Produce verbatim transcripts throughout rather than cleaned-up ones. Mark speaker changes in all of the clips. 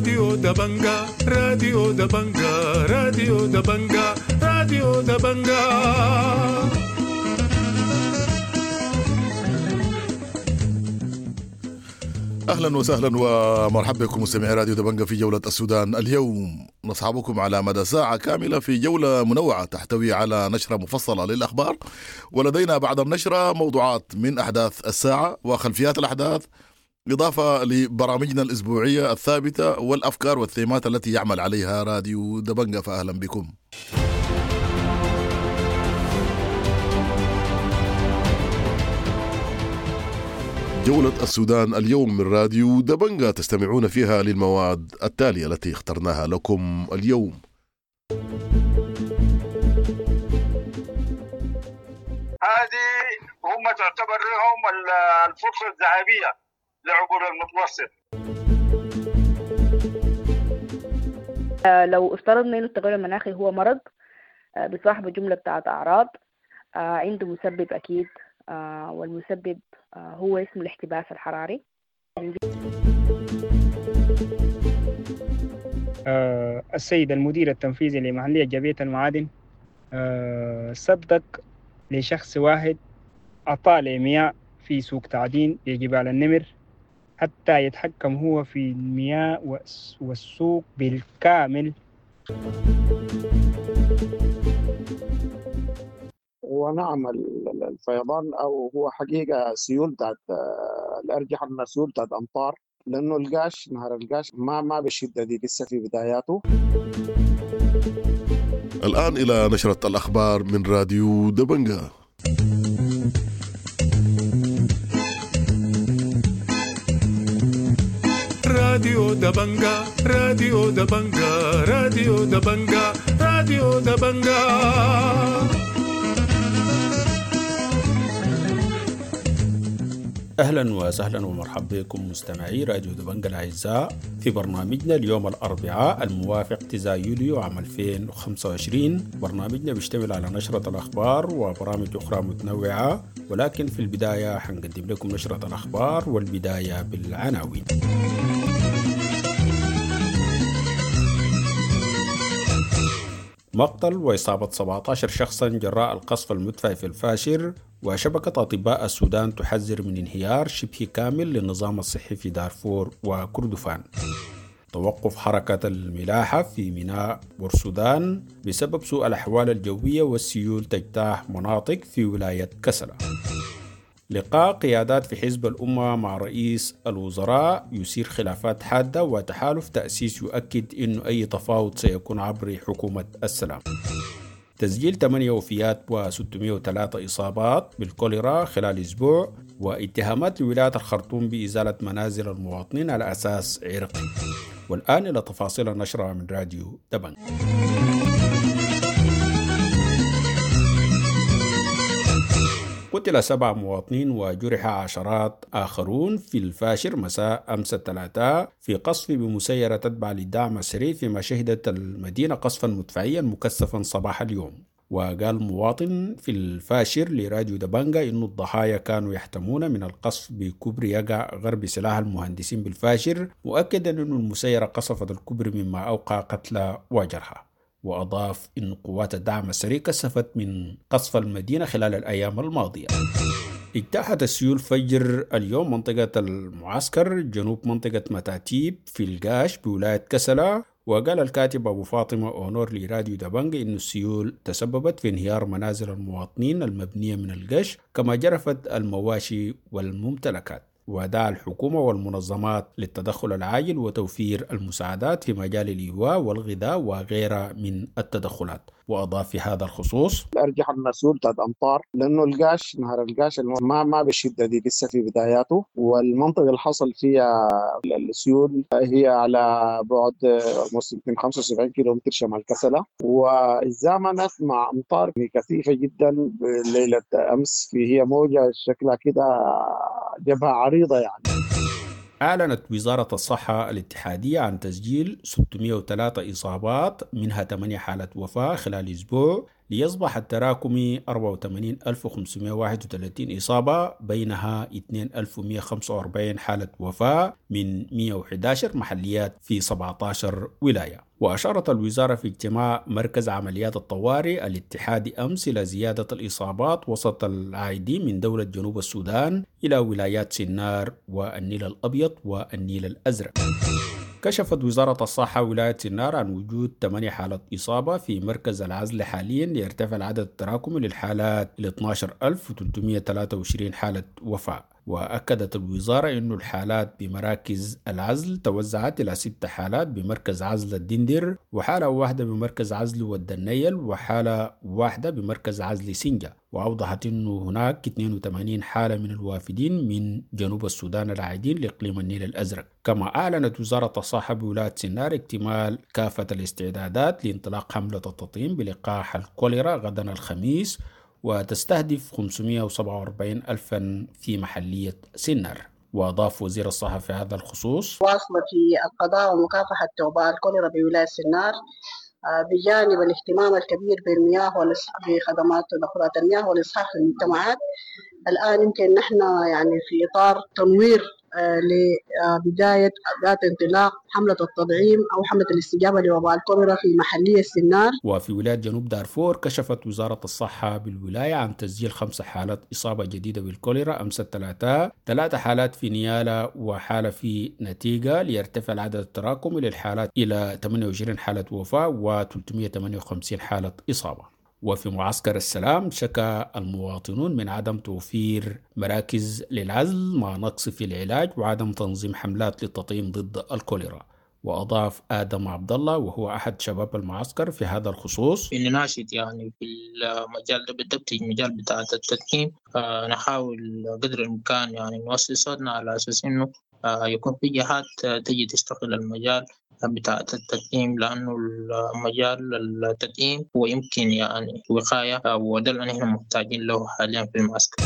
Speaker 1: راديو دبنجا، راديو دبنجا، راديو دبنجا، راديو دبنجا.
Speaker 2: اهلا وسهلا ومرحبا بكم مستمعي راديو دبنجا في جولة السودان اليوم. نصحبكم على مدى ساعة كاملة في جولة منوعة تحتوي على نشرة مفصلة للأخبار، ولدينا بعد النشرة موضوعات من أحداث الساعة وخلفيات الأحداث، إضافة لبرامجنا الأسبوعية الثابتة والأفكار والثيمات التي يعمل عليها راديو دبنجا. فأهلا بكم. جولة السودان اليوم من راديو دبنجا تستمعون فيها للمواد التالية التي اخترناها لكم اليوم.
Speaker 3: هذه هم تعتبر لهم الفرصة الذهبية لعبور المتوسط.
Speaker 4: لو افترضنا أن التغير المناخي هو مرض بصاحبه جملة بتاعت أعراض، عنده مسبب أكيد، والمسبب هو اسمه الاحتباس الحراري.
Speaker 5: السيد المدير التنفيذي لمحلية جبية المعادن صدق لشخص واحد أعطى المياه في سوق تعدين لجبال النمر حتى يتحكم هو في المياه والسوق بالكامل.
Speaker 6: ونعم الفيضان أو هو حقيقة سيول بتاعت الأرجح أنها سيول بتاعت أمطار، لأنه القاش نهر القاش ما ما بالشدة دي لسه في بداياته.
Speaker 2: الآن إلى نشرة الأخبار من راديو دبنجا.
Speaker 1: راديو دبنجا، راديو دبنجا، راديو دبنجا، راديو دبنجا.
Speaker 7: أهلا وسهلا ومرحبا بكم مستمعي راديو دبنجا الأعزاء في برنامجنا اليوم الأربعاء الموافق تسعة يوليو عام ألفين وخمسة وعشرين. برنامجنا بيشتمل على نشرة الأخبار وبرامج أخرى متنوعة، ولكن في البداية حنقدم لكم نشرة الأخبار والبداية بالعناوين. مقتل وإصابة سبعة عشر شخصا جراء القصف المدفعي في الفاشر، وشبكة أطباء السودان تحذر من انهيار شبه كامل للنظام الصحي في دارفور وكردفان. توقف حركة الملاحة في ميناء بورسودان بسبب سوء الأحوال الجوية والسيول تجتاح مناطق في ولاية كسلا. لقاء قيادات في حزب الأمة مع رئيس الوزراء يثير خلافات حادة، وتحالف تأسيس يؤكد أن أي تفاوض سيكون عبر حكومة السلام. تسجيل ثمانية وفيات وستمائة وثلاثة إصابات بالكوليرا خلال أسبوع، واتهامات لولاية الخرطوم بإزالة منازل المواطنين على أساس عرقي. والآن إلى تفاصيل النشرة من راديو دبنجا. قتل سبع مواطنين وجرح عشرات آخرون في الفاشر مساء أمس الثلاثاء في قصف بمسيرة تتبع للدعم السريع، فيما شهدت المدينة قصفا مدفعيا مكثفا صباح اليوم. وقال مواطن في الفاشر لراديو دبنجا إن الضحايا كانوا يحتمون من القصف بكوبري يقع غرب سلاح المهندسين بالفاشر، مؤكدا أن المسيرة قصفت الكوبري مما أوقع قتلى وجرحى. وأضاف أن قوات الدعم السريع كثفت من قصف المدينة خلال الأيام الماضية. اجتاحت السيول فجر اليوم منطقة المعسكر جنوب منطقة متاتيب في القاش بولاية كسلا. وقال الكاتب أبو فاطمة أونور لراديو دبنجا أن السيول تسببت في انهيار منازل المواطنين المبنية من القش، كما جرفت المواشي والممتلكات. ودعا الحكومة والمنظمات للتدخل العاجل وتوفير المساعدات في مجال الإيواء والغذاء وغيرها من التدخلات. وأضاف في هذا الخصوص:
Speaker 6: الأرجح أنها سيول بتاعت أمطار، لأنه القاش نهر القاش ما ما بالشدة دي لسه في بداياته، والمنطقة اللي حصل فيها السيول هي على بعد خمسة وسبعين كيلومتر شمال كسلة، وزامنت مع أمطار كثيفة جدا ليلة أمس، هي موجة شكلها كده جبهة عريضة يعني.
Speaker 7: أعلنت وزارة الصحة الاتحادية عن تسجيل ستمائة وثلاثة إصابات، منها ثمانية حالات وفاة خلال أسبوع ليصبح التراكمي أربعة وثمانين ألف وخمسمائة وواحد وثلاثين إصابة، بينها اثنين ألف ومئة وخمسة وأربعين حالة وفاة من مئة وأحد عشر محليات في سبعة عشر ولاية. وأشارت الوزارة في اجتماع مركز عمليات الطوارئ الاتحادي أمس إلى زيادة الإصابات وسط العائدين من دولة جنوب السودان إلى ولايات سنار والنيل الأبيض والنيل الأزرق. كشفت وزارة الصحة ولاية سنار عن وجود ثمانية حالات إصابة في مركز العزل حاليا، ليرتفع العدد التراكمي للحالات إلى اثني عشر ألف وثلاثمائة وثلاثة وعشرين حالة وفاة. وأكدت الوزارة أن الحالات بمراكز العزل توزعت إلى ست حالات بمركز عزل الدندر، وحالة واحدة بمركز عزل ودنيل، وحالة واحدة بمركز عزل سنجة. وأوضحت أنه هناك اثنين وثمانين حالة من الوافدين من جنوب السودان العائدين لإقليم النيل الأزرق. كما أعلنت وزارة الصحة بولاية سنار اكتمال كافة الاستعدادات لانطلاق حملة التطعيم بلقاح الكوليرا غدا الخميس، وتستهدف خمسمائة وسبعة وأربعين ألفا في محلية سنار. وأضاف وزير الصحة في هذا الخصوص:
Speaker 8: واصلة في القضاء ومكافحة وباء الكوليرا بولاية سنار، بجانب الاهتمام الكبير بالمياه بخدمات تدخلات المياه والإصحاح في المجتمعات. الآن يمكن نحن يعني في إطار تنوير لبداية ذات انطلاق حملة التطعيم أو حملة الاستجابة لوباء الكوليرا في محلية سنار.
Speaker 7: وفي ولاية جنوب دارفور كشفت وزارة الصحة بالولاية عن تسجيل خمس حالات إصابة جديدة بالكوليرا أمس الثلاثاء، ثلاث حالات في نيالا وحالة في نتيجة، ليرتفع العدد التراكمي للحالات إلى ثمانية وعشرين حالة وفاة وثلاثمائة وثمانية وخمسين حالة إصابة. وفي معسكر السلام شكى المواطنون من عدم توفير مراكز للعزل مع نقص في العلاج وعدم تنظيم حملات للتطعيم ضد الكوليرا. وأضاف آدم عبد الله وهو أحد شباب المعسكر في هذا الخصوص:
Speaker 9: إن ناشط يعني في المجال ده بالضبط، المجال بتاع التدخين، آه نحاول قدر الإمكان يعني نوصل صوتنا على أساس إنه آه يكون في جهات تجي تشتغل المجال بتاع التدعيم، لأنه المجال التدعيم هو يمكن يعني وقاية، وده اللي نحن محتاجين له حاليا في المعسكر.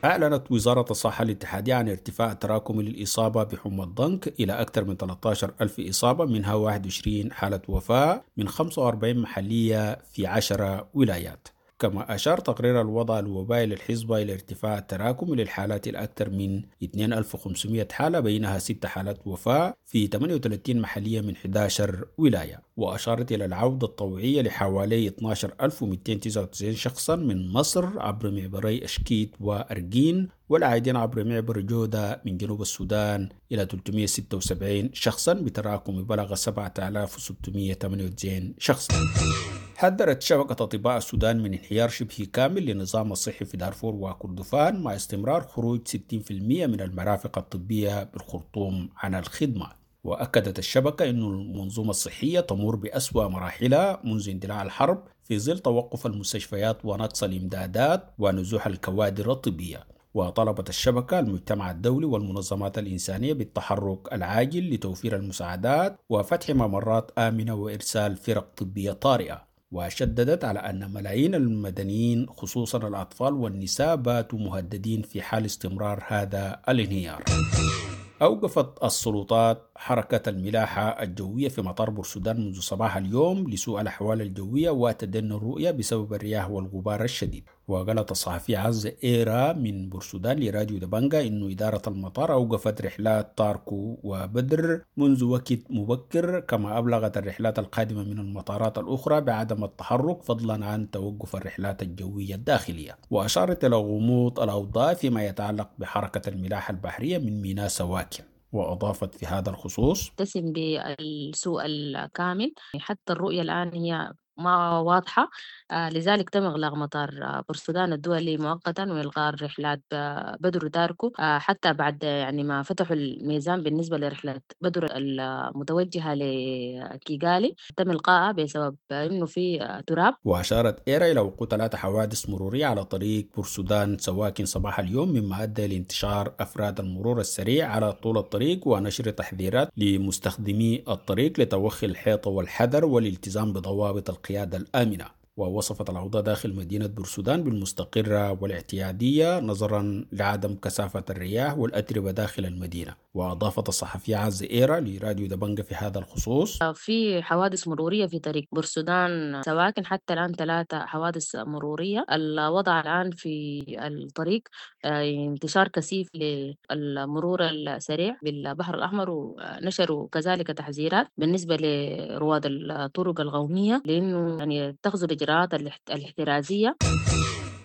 Speaker 7: أعلنت وزارة الصحة الاتحادية عن ارتفاع تراكمي للإصابة بحمى الضنك إلى أكثر من ثلاثة عشر ألف إصابة، منها واحد وعشرين حالة وفاة من خمسة وأربعين محلية في عشرة ولايات. كما أشار تقرير الوضع الوبائي للحزبة إلى ارتفاع التراكم للحالات الأكثر من اثنين ألف وخمسمائة حالة، بينها ست حالات وفاة في ثمانية وثلاثين محلية من أحد عشر ولاية. وأشارت إلى العودة الطوعية لحوالي اثني عشر ألف ومئتين وتسعة وتسعين شخصا من مصر عبر معبري أشكيت وأرجين، والعائدين عبر معبر جودة من جنوب السودان إلى ثلاثمائة وستة وسبعين شخصا بتراكم بلغ سبعة آلاف وستمائة وثمانية وتسعين شخصا. حذرت شبكة أطباء السودان من انهيار شبه كامل للنظام الصحي في دارفور وكردفان مع استمرار خروج ستين بالمئة من المرافق الطبية بالخرطوم عن الخدمة. وأكدت الشبكة أن المنظومة الصحية تمر بأسوأ مراحلها منذ اندلاع الحرب في ظل توقف المستشفيات ونقص الإمدادات ونزوح الكوادر الطبية. وطلبت الشبكة المجتمع الدولي والمنظمات الإنسانية بالتحرك العاجل لتوفير المساعدات وفتح ممرات آمنة وإرسال فرق طبية طارئة. وشددت على أن ملايين المدنيين خصوصا الأطفال والنساء باتوا مهددين في حال استمرار هذا الانهيار. أوقفت السلطات حركة الملاحة الجوية في مطار بورسودان منذ صباح اليوم لسوء الأحوال الجوية وتدني الرؤية بسبب الرياح والغبار الشديد. وقالت الصحفي عز إيرا من بورسودان لراديو دبنجا إنه إدارة المطار أوقفت رحلات تاركو وبدر منذ وقت مبكر، كما أبلغت الرحلات القادمة من المطارات الأخرى بعدم التحرك فضلا عن توقف الرحلات الجوية الداخلية. وأشارت إلى غموض الأوضاع فيما يتعلق بحركة الملاحة البحرية من ميناء سواكن. وأضافت في هذا الخصوص:
Speaker 10: تسم بالسوء الكامل، حتى الرؤية الآن هي ما واضحة، لذلك تم إغلاق مطار بورسودان الدولي مؤقتا وإلغاء رحلات بدر وداركو حتى بعد يعني ما فتحوا الميزان بالنسبة لرحلة بدر المتوجهة لكيغالي تم إلقائها بسبب إنه في تراب.
Speaker 7: وأشارت إيرا إلى وقوع ثلاث حوادث مرورية على طريق بورسودان سواكن صباح اليوم، مما أدى لانتشار أفراد المرور السريع على طول الطريق ونشر تحذيرات لمستخدمي الطريق لتوخي الحيطة والحذر والالتزام بضوابط القيادة الآمنة. ووصفت الأوضاع داخل مدينة بورسودان بالمستقرة والاعتيادية نظرا لعدم كثافة الرياح والأتربة داخل المدينة. وأضافت الصحفية عزة إيرا لراديو دبنجة في هذا الخصوص:
Speaker 10: في حوادث مرورية في طريق بورسودان سواكن، حتى الآن ثلاثة حوادث مرورية. الوضع الآن في الطريق انتشار كثيف للمرور السريع بالبحر الأحمر، ونشروا كذلك تحذيرات بالنسبة لرواد الطرق القومية لأنه يعني يتخذوا الإجراءات الاحترازية.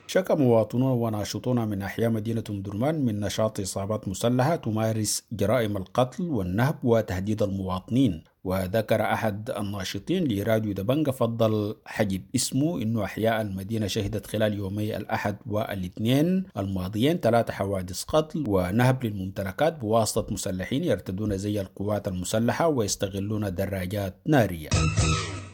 Speaker 7: شكى مواطنون وناشطون من أحياء مدينة أم درمان من نشاط عصابات مسلحة تمارس جرائم القتل والنهب وتهديد المواطنين. وذكر أحد الناشطين لراديو دبنجة فضل حجب اسمه إنه أحياء المدينة شهدت خلال يومي الأحد والاثنين الماضيين ثلاث حوادث قتل ونهب للممتلكات بواسطة مسلحين يرتدون زي القوات المسلحة ويستغلون دراجات نارية.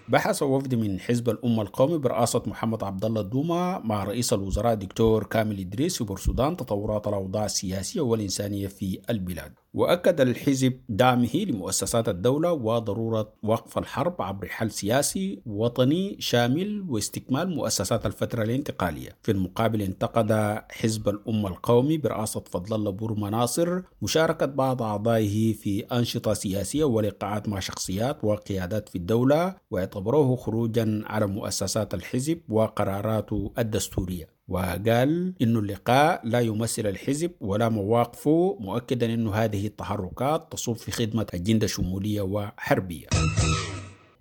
Speaker 7: بحث وفد من حزب الأمة القومي برئاسة محمد عبد الله الدومة مع رئيس الوزراء دكتور كامل إدريس في بورسودان تطورات الأوضاع السياسية والإنسانية في البلاد. وأكد الحزب دعمه لمؤسسات الدولة وضرورة وقف الحرب عبر حل سياسي وطني شامل واستكمال مؤسسات الفترة الانتقالية. في المقابل انتقد حزب الأمة القومي برئاسة فضل الله بورما ناصر مشاركة بعض أعضائه في أنشطة سياسية ولقاءات مع شخصيات وقيادات في الدولة، واعتبروه خروجا على مؤسسات الحزب وقراراته الدستورية. وقال إنه اللقاء لا يمثل الحزب ولا مواقفه، مؤكدا أنه هذه التحركات تصب في خدمة أجندة شمولية وحربية.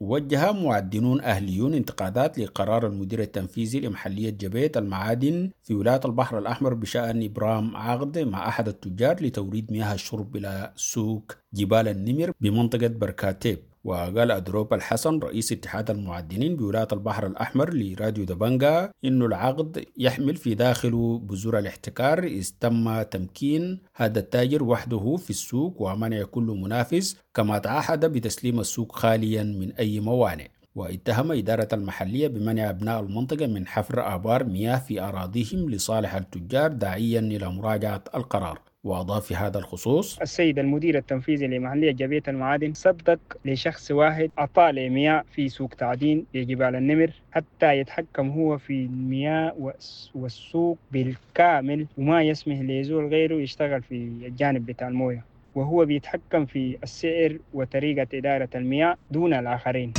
Speaker 7: وجه معدنون أهليون انتقادات لقرار المدير التنفيذي لمحلية جبيت المعادن في ولاية البحر الأحمر بشأن إبرام عقد مع أحد التجار لتوريد مياه الشرب إلى سوق جبال النمر بمنطقة بركاتيب. وقال أدروب الحسن رئيس اتحاد المعدنين بولاية البحر الأحمر لراديو دبنجة إنه العقد يحمل في داخله بذور الاحتكار، إذ تم تمكين هذا التاجر وحده في السوق ومنع كل منافس، كما تعهد بتسليم السوق خاليا من أي موانع. واتهم إدارة المحلية بمنع أبناء المنطقة من حفر آبار مياه في أراضيهم لصالح التجار، داعيا إلى مراجعة القرار. وأضاف في هذا الخصوص:
Speaker 5: السيد المدير التنفيذي لمحلية جبيت المعادن صدق لشخص واحد أعطى مياه في سوق تعدين لجبال النمر حتى يتحكم هو في المياه والسوق بالكامل، وما يسمح لزول غيره يشتغل في الجانب بتاع المويه، وهو بيتحكم في السعر وطريقة إدارة المياه دون الآخرين.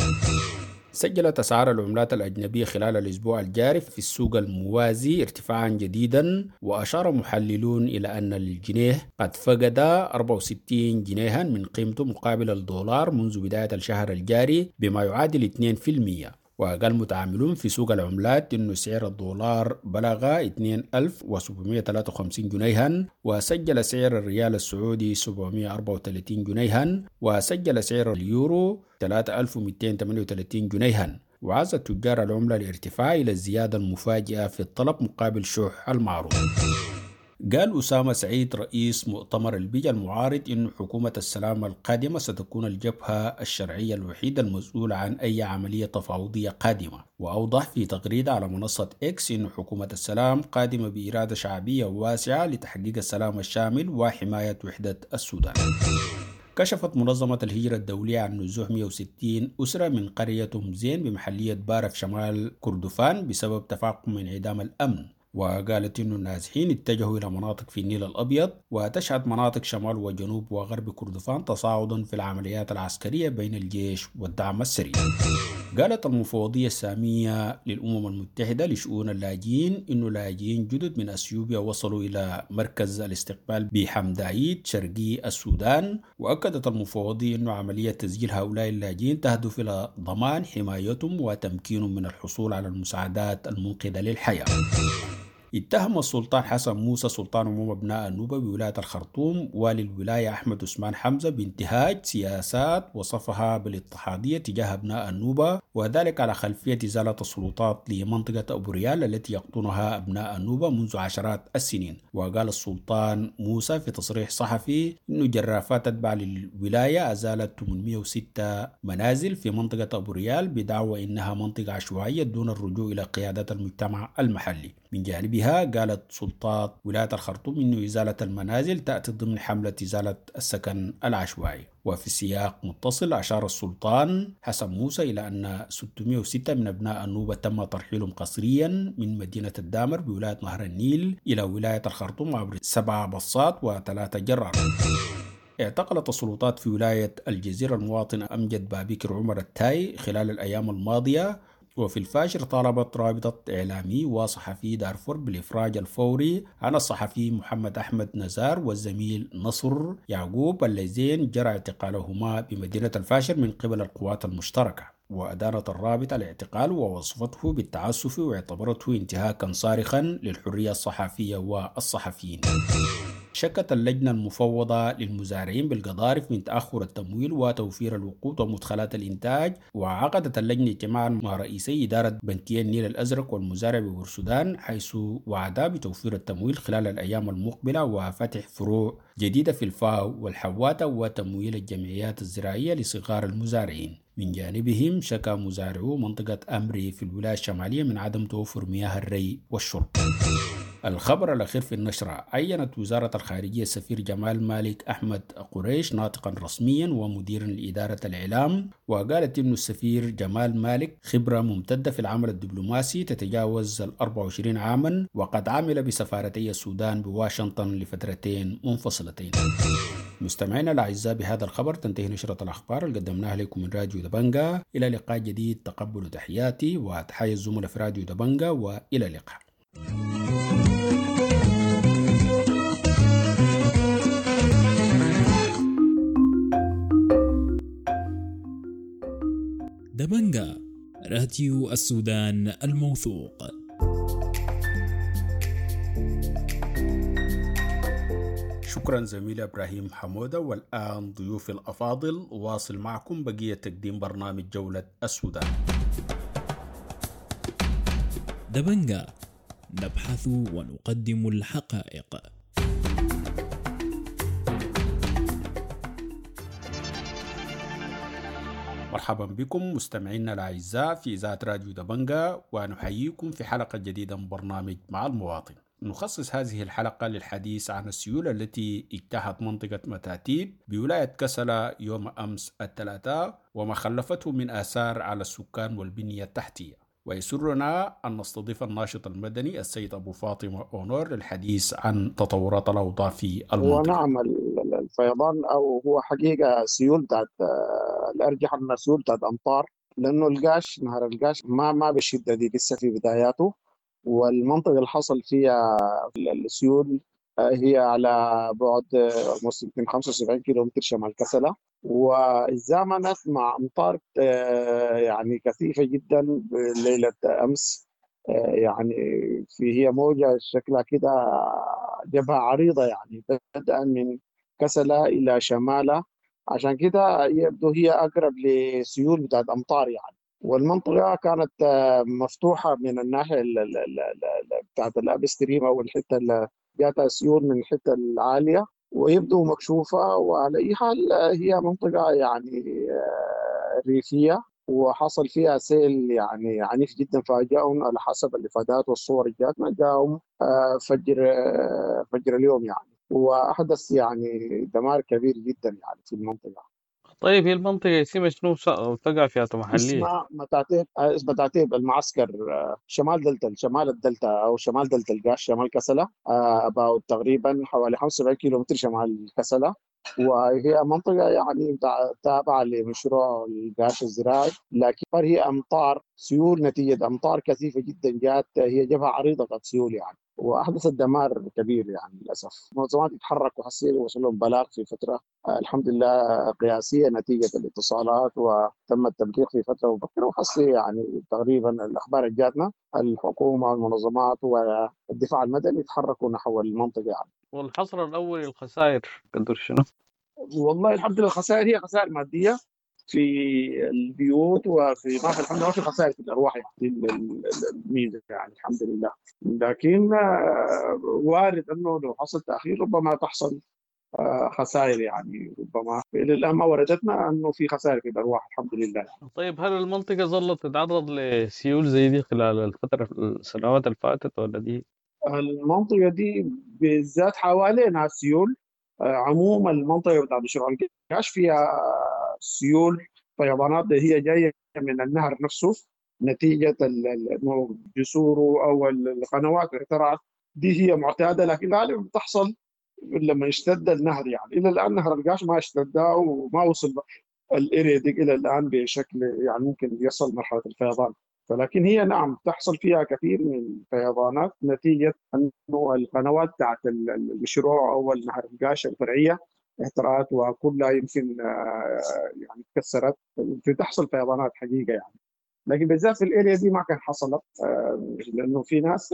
Speaker 7: سجلت أسعار العملات الأجنبية خلال الأسبوع الجاري في السوق الموازي ارتفاعا جديدا، وأشار محللون إلى أن الجنيه قد فقد أربعة وستين جنيها من قيمته مقابل الدولار منذ بداية الشهر الجاري بما يعادل اثنين بالمئة. وقال متعاملون في سوق العملات إنه سعر الدولار بلغ اثنين ألف وسبعمائة وثلاثة وخمسين جنيها، وسجل سعر الريال السعودي سبعمائة وأربعة وثلاثين جنيها، وسجل سعر اليورو ثلاثة آلاف ومئتين وثمانية وثلاثين جنيها. وعزى تجار العملة الارتفاع إلى الزيادة المفاجئة في الطلب مقابل شح المعروض. قال أسامة سعيد رئيس مؤتمر البيجا المعارض إن حكومة السلام القادمة ستكون الجبهة الشرعية الوحيدة المسؤولة عن أي عملية تفاوضية قادمة. وأوضح في تغريدة على منصة إكس إن حكومة السلام قادمة بإرادة شعبية واسعة لتحقيق السلام الشامل وحماية وحدة السودان. كشفت منظمة الهجرة الدولية عن نزوح مئة وستين أسرة من قرية أم زين بمحلية بارة في شمال كردفان بسبب تفاقم انعدام الأمن. وقالت إنه النازحين اتجهوا إلى مناطق في النيل الأبيض، وتشهد مناطق شمال وجنوب وغرب كردفان تصاعدا في العمليات العسكرية بين الجيش والدعم السريع. قالت المفوضية السامية للأمم المتحدة لشؤون اللاجئين إنه لاجئين جدد من أثيوبيا وصلوا إلى مركز الاستقبال بحمدايد شرقي السودان. وأكدت المفوضية إنه عملية تسجيل هؤلاء اللاجئين تهدف إلى ضمان حمايتهم وتمكينهم من الحصول على المساعدات المنقذة للحياة. اتهم السلطان حسن موسى سلطان عموم أبناء النوبة بولاية الخرطوم والي الولاية أحمد عثمان حمزة بانتهاج سياسات وصفها بالاضطهادية تجاه أبناء النوبة، وذلك على خلفية إزالة السلطات لمنطقة أبو ريال التي يقطنها أبناء النوبة منذ عشرات السنين. وقال السلطان موسى في تصريح صحفي إنه جرافات تتبع للولاية أزالت ثمانمئة وستة منازل في منطقة أبو ريال بدعوى إنها منطقة عشوائية دون الرجوع إلى قيادات المجتمع المحلي. من جانبها قالت سلطات ولاية الخرطوم إن إزالة المنازل تأتي ضمن حملة إزالة السكن العشوائي. وفي سياق متصل أشار السلطان حسن موسى إلى أن ستمائة وستة من أبناء النوبة تم ترحيلهم قسريا من مدينة الدامر بولاية نهر النيل إلى ولاية الخرطوم عبر سبع بصات وثلاثة جرار. اعتقلت السلطات في ولاية الجزيرة المواطن أمجد بابكر عمر التاي خلال الأيام الماضية. وفي الفاشر طالبت رابطة إعلامي وصحفي دارفور بالإفراج الفوري عن الصحفي محمد أحمد نزار والزميل نصر يعقوب اللذين جرى اعتقالهما بمدينة الفاشر من قبل القوات المشتركة. وأدانت الرابطة الاعتقال ووصفته بالتعسف واعتبرته انتهاكا صارخا للحرية الصحفية والصحفيين. شكت اللجنة المفوضة للمزارعين بالقضارف من تأخر التمويل وتوفير الوقود ومدخلات الإنتاج، وعقدت اللجنة اجتماعا مع رئيسي إدارة بنكي النيل الأزرق والمزارع ببورسودان، حيث وعدا بتوفير التمويل خلال الأيام المقبلة وفتح فروع جديدة في الفاو والحواتة وتمويل الجمعيات الزراعية لصغار المزارعين. من جانبهم شكا مزارعو منطقة أمري في الولاية الشمالية من عدم توفر مياه الري والشرب. الخبر الأخير في النشرة: عينت وزارة الخارجية السفير جمال مالك أحمد قريش ناطقا رسميا ومديرا لإدارة الإعلام، وقالت إن السفير جمال مالك خبرة ممتدة في العمل الدبلوماسي تتجاوز ال أربعة وعشرين عاما، وقد عمل بسفارتي السودان بواشنطن لفترتين منفصلتين. مستمعينا الأعزاء، بهذا الخبر تنتهي نشرة الأخبار اللي قدمناها لكم من راديو دبنجا. إلى لقاء جديد، تقبلوا تحياتي وتحيا الزملاء في راديو دبنجا، وإلى اللقاء.
Speaker 11: دبنجا، راديو السودان الموثوق.
Speaker 7: شكرا زميل إبراهيم حمودة. والآن ضيوف الأفاضل، واصل معكم بقية تقديم برنامج جولة السودان.
Speaker 11: دبنجا، نبحث ونقدم الحقائق.
Speaker 7: مرحبا بكم مستمعينا الأعزاء في إذاعة راديو دبنجا، ونحييكم في حلقة جديدة من برنامج مع المواطن. نخصص هذه الحلقة للحديث عن السيول التي اجتاحت منطقة متاتيب بولاية كسلا يوم أمس الثلاثاء وما خلفته من آثار على السكان والبنية التحتية. ويسرنا أن نستضيف الناشط المدني السيد أبو فاطمة أونور للحديث عن تطورات الأوضاع في المنطقة.
Speaker 6: ونعم، الفيضان أو هو حقيقة سيول بتاعت الأرجح أنها سيول بتاعت أمطار، لأنه القاش نهر القاش ما ما بالشدة دي لسه في بداياته، والمنطقة اللي حصل فيها السيول هي على بعد خمسة وسبعين كيلومتر شمال كسلة، وزامنت مع أمطار يعني كثيفة جدا ليلة أمس. يعني في هي موجة شكلها كده جبهة عريضة، يعني بدءا من كسلة إلى شمالة، عشان كده يبدو هي أقرب لسيول بتاعت أمطار يعني. والمنطقة كانت مفتوحة من الناحية بتاعت ال upstream أو الحتة اللي جاتها سيول من الحتة العالية، ويبدو مكشوفة. وعلى أي حال هي منطقة يعني ريفية، وحصل فيها سيل يعني عنيف جدا، فاجأهم على حسب الإفادات والصور اللي جاتنا، جاءهم فجر فجر اليوم يعني، وأحدث يعني دمار كبير جدا يعني في المنطقة.
Speaker 12: طيب هي المنطقة اسمها شنو تقع فيها محلية؟
Speaker 6: اسمها متاتيب، متاتيب المعسكر شمال دلتا، شمال الدلتا أو شمال دلتا القاش، شمال كسلة، about تقريبا حوالي خمسة وسبعين كيلو متر شمال كسلة. وهي منطقة يعني تابعة لمشروع القاش الزراعي، لكن هي أمطار سيول نتيجة أمطار كثيفة جدا جات، هي جبهة عريضة بتاعت سيول يعني، وأحدثت دمار كبير يعني للأسف. منظمات يتحركوا حسير وصل لهم بلاغ في فترة الحمد لله قياسية نتيجة الاتصالات، وتم التبليغ في فترة مبكرة، وحسي يعني تقريبا الأخبار اللي جاتنا الحكومة والمنظمات والدفاع المدني يتحركوا نحو المنطقة يعني.
Speaker 12: والحصر الأول الخسائر قدر شنو؟
Speaker 6: والله الحمد لله الخسائر هي خسائر مادية في البيوت وفي ما في الحمد لله ما في خسائر في الأرواح يعني، الميزة يعني الحمد لله. لكن وارد أنه لو حصل تأخير ربما تحصل خسائر يعني، ربما الى الان ما وردتنا انه في خسائر في الارواح الحمد لله.
Speaker 12: طيب هل المنطقة ظلت تتعرض لسيول زي دي خلال الفترة السنوات اللي فاتت ولا دي؟
Speaker 6: المنطقة دي بالذات حوالينها سيول. عموما المنطقة بتاعت مشروع القاش فيها سيول فيضانات هي جاية من النهر نفسه نتيجة انه جسوره او القنوات اعترعت، دي هي معتادة، لكن غالبا بتحصل لما يشتد النهر يعني. الى الان نهر القاش ما اشتد وما وصل ال area دي الى الان بشكل يعني ممكن يصل مرحلة الفيضان، ولكن هي نعم تحصل فيها كثير من الفيضانات نتيجة انه القنوات بتاعت المشروع او نهر القاش الفرعية اهترأت وكلها يمكن يعني تكسرت، بتحصل فيضانات حقيقة يعني. لكن بالذات في ال area دي ما كان حصلت لانه في ناس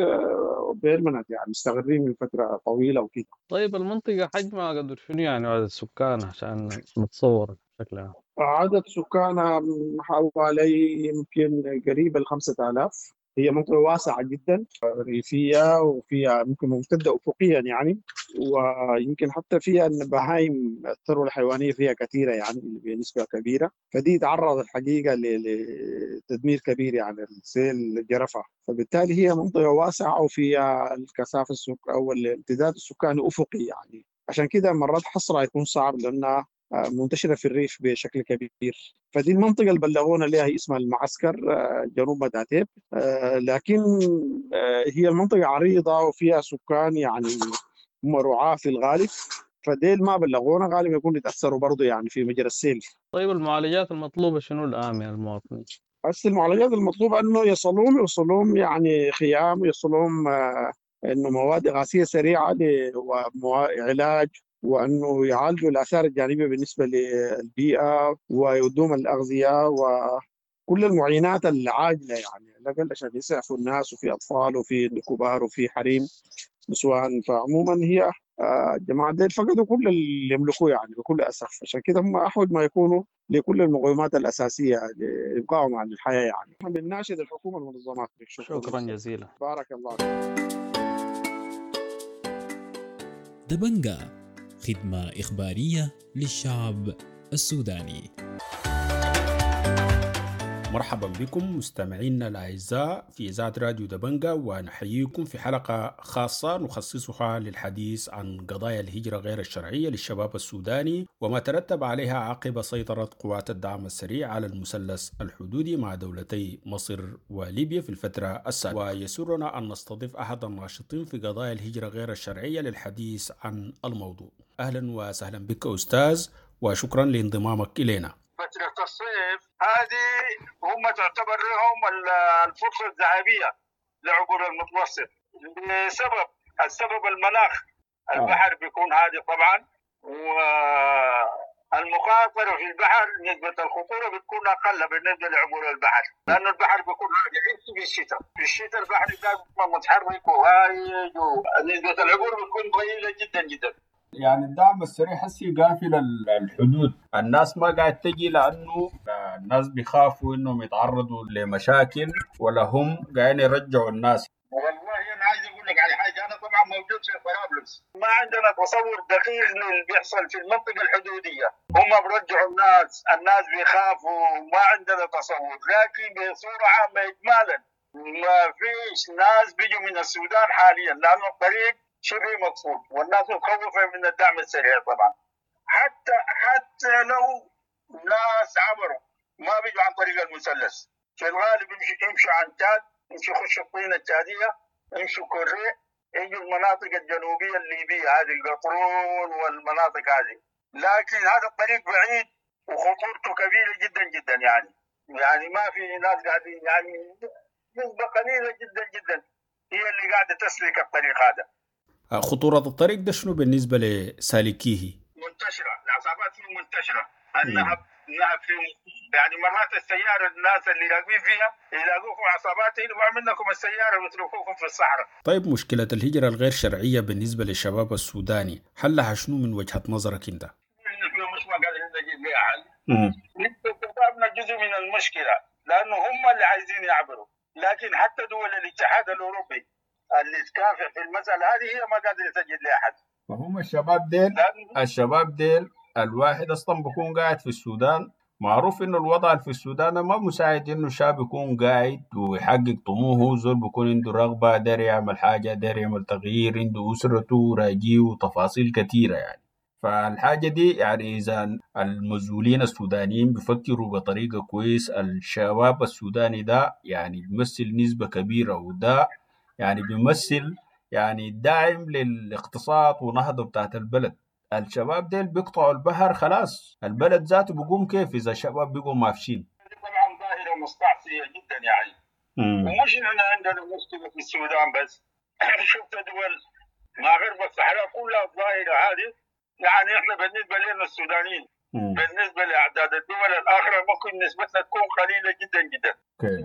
Speaker 6: permanent يعني مستقرين من فترة طويلة وكده.
Speaker 12: طيب المنطقة حجمها قدر شنو يعني عدد السكان عشان نتصور بشكل عام؟
Speaker 6: عدد سكانها حوالي يمكن قريب ال خمسة آلاف. هي منطقة واسعة جدا ريفية وفيها ممكن ممتدة أفقيا يعني، ويمكن حتى فيها البهايم الثروة الحيوانية فيها كثيرة يعني بنسبة كبيرة، فدي تعرضت الحقيقة لتدمير كبير يعني السيل جرفها، فبالتالي هي منطقة واسعة وفيها الكثافة السك أو الامتداد السكاني أفقي يعني، عشان كده مرات حصرها يكون صعب لأنها منتشرة في الريف بشكل كبير. فدي المنطقة اللي بلغونا لها هي اسمها المعسكر جنوب مداتيب، لكن هي المنطقة عريضة وفيها سكان يعني هم رعاة في الغالب، فديل ما بلغونا غالبا يكون يتأثروا برضو يعني في مجرى السيل.
Speaker 12: طيب المعالجات المطلوبة شنو الآن من المواطنين؟
Speaker 6: بس المعالجات المطلوبة أنه يصلون يوصلون يعني خيام، يصلون أنه مواد إغاثية سريعة وعلاج، وأنه يعالجوا الآثار الجانبية بالنسبة للبيئة ويودوم الأغذية وكل المعينات العاجلة يعني الأقل عشان يسعفوا الناس، وفي أطفال وفي كبار وفي حريم نسوان. فعموما هي الجماعة ديل فقدوا كل اللي يملكوه يعني بكل أسف، عشان كده هم أحوج ما يكونوا لكل المقومات الأساسية لإبقائهم على الحياة يعني. نحن بنناشد الحكومة والمنظمات.
Speaker 12: شكرا, شكرا جزيلا،
Speaker 6: بارك الله.
Speaker 11: دبنجا، خدمة إخبارية للشعب السوداني.
Speaker 7: مرحبا بكم مستمعينا الأعزاء في إذاعة راديو دبنجا، ونحييكم في حلقة خاصة نخصصها للحديث عن قضايا الهجرة غير الشرعية للشباب السوداني وما ترتب عليها عقب سيطرة قوات الدعم السريع على المثلث الحدودي مع دولتي مصر وليبيا في الفترة السابقة. ويسرنا أن نستضيف أحد الناشطين في قضايا الهجرة غير الشرعية للحديث عن الموضوع. أهلا وسهلا بك أستاذ، وشكرا لانضمامك إلينا.
Speaker 3: فترة الصيف هذه هم تعتبر لهم الفرصة الذهبية لعبور المتوسط، لسبب السبب المناخ. البحر بيكون هادي طبعا، والمخاطرة في البحر نسبة الخطورة بتكون أقل بالنسبة لعبور البحر، لأنه البحر بيكون هادي في الشتاء. في الشتاء البحر دائما متحرك وهايج، ونسبة العبور بتكون ضئيلة جدا جدا.
Speaker 7: يعني الدعم السريع حسي قافل الحدود، الناس ما قاعد تجي لأنه الناس بيخافوا إنهم يتعرضوا لمشاكل، ولا هم قاعدين يرجعوا الناس.
Speaker 3: والله أنا عايز أقول لك على حاجة، أنا طبعا موجود في طرابلس، ما عندنا تصور دقيق للي بيحصل في المنطقة الحدودية. هم برجعوا الناس، الناس بيخافوا، ما عندنا تصور، لكن بصورة عامة إجمالا ما فيش ناس بيجوا من السودان حاليا، لأنه الطريق شبه مقفول والناس متخوفة من الدعم السريع طبعا. حتى حتى لو ناس عبروا ما بيجوا عن طريق المثلث، في الغالب يمشوا يمشوا عن تاد، يمشوا يخشوا الطينة التادية، يمشوا كوري، يجوا المناطق الجنوبية الليبية هذه القطرون والمناطق هذه. لكن هذا الطريق بعيد وخطورته كبيرة جدا جدا يعني، يعني ما في ناس قاعدين، يعني نسبة قليلة جدا جدا هي اللي قاعدة تسلك الطريق هذا.
Speaker 7: خطورة الطريق ده شنو بالنسبة لسالكيه؟
Speaker 3: منتشرة، العصابات فيه منتشرة، النهب النهب فيه، يعني مرات السيارة الناس اللي راكبين فيها يلاقوكم عصابات يلوعوا منكم السيارة ويتركوكم في الصحراء.
Speaker 7: طيب مشكلة الهجرة الغير شرعية بالنسبة للشباب السوداني حلها شنو من وجهة نظرك أنت؟
Speaker 3: مش ما قادرين نجيب لها حل. نحن شبابنا جزء من المشكلة، لأنه هم اللي عايزين يعبروا، لكن حتى دول الاتحاد الأوروبي اللي تكافح في المسألة هذه هي ما قادرة تجد لها حل.
Speaker 7: فهم الشباب ديل الشباب ديل الواحد اصلا بيكون قاعد في السودان، معروف انه الوضع في السودان ما مساعد انه الشاب يكون قاعد ويحقق طموحه. زول بيكون عنده رغبة، داير يعمل حاجة، داير يعمل تغيير، عنده أسرته راجيه وتفاصيل كثيرة يعني. فالحاجة دي يعني إذا المسؤولين السودانيين بيفكروا بطريقة كويس، الشباب السوداني ده يعني بيمثل نسبة كبيرة، وده يعني بيمثل يعني داعم للاقتصاد ونهضة بتاعت البلد. الشباب ديل بيقطعوا البحر خلاص، البلد ذاته بيقوم كيف إذا الشباب بيقوم مافشين؟
Speaker 3: طبعا ظاهرة مستعصية جدا يعني. ومش احنا عندنا مشكلة في السودان بس، شفت دول ما غرب الصحراء كلها الظاهرة هذه. يعني احنا بالنسبة لنا السودانيين، بالنسبة لأعداد الدول الأخرى ممكن نسبتنا تكون قليلة جدا جدا،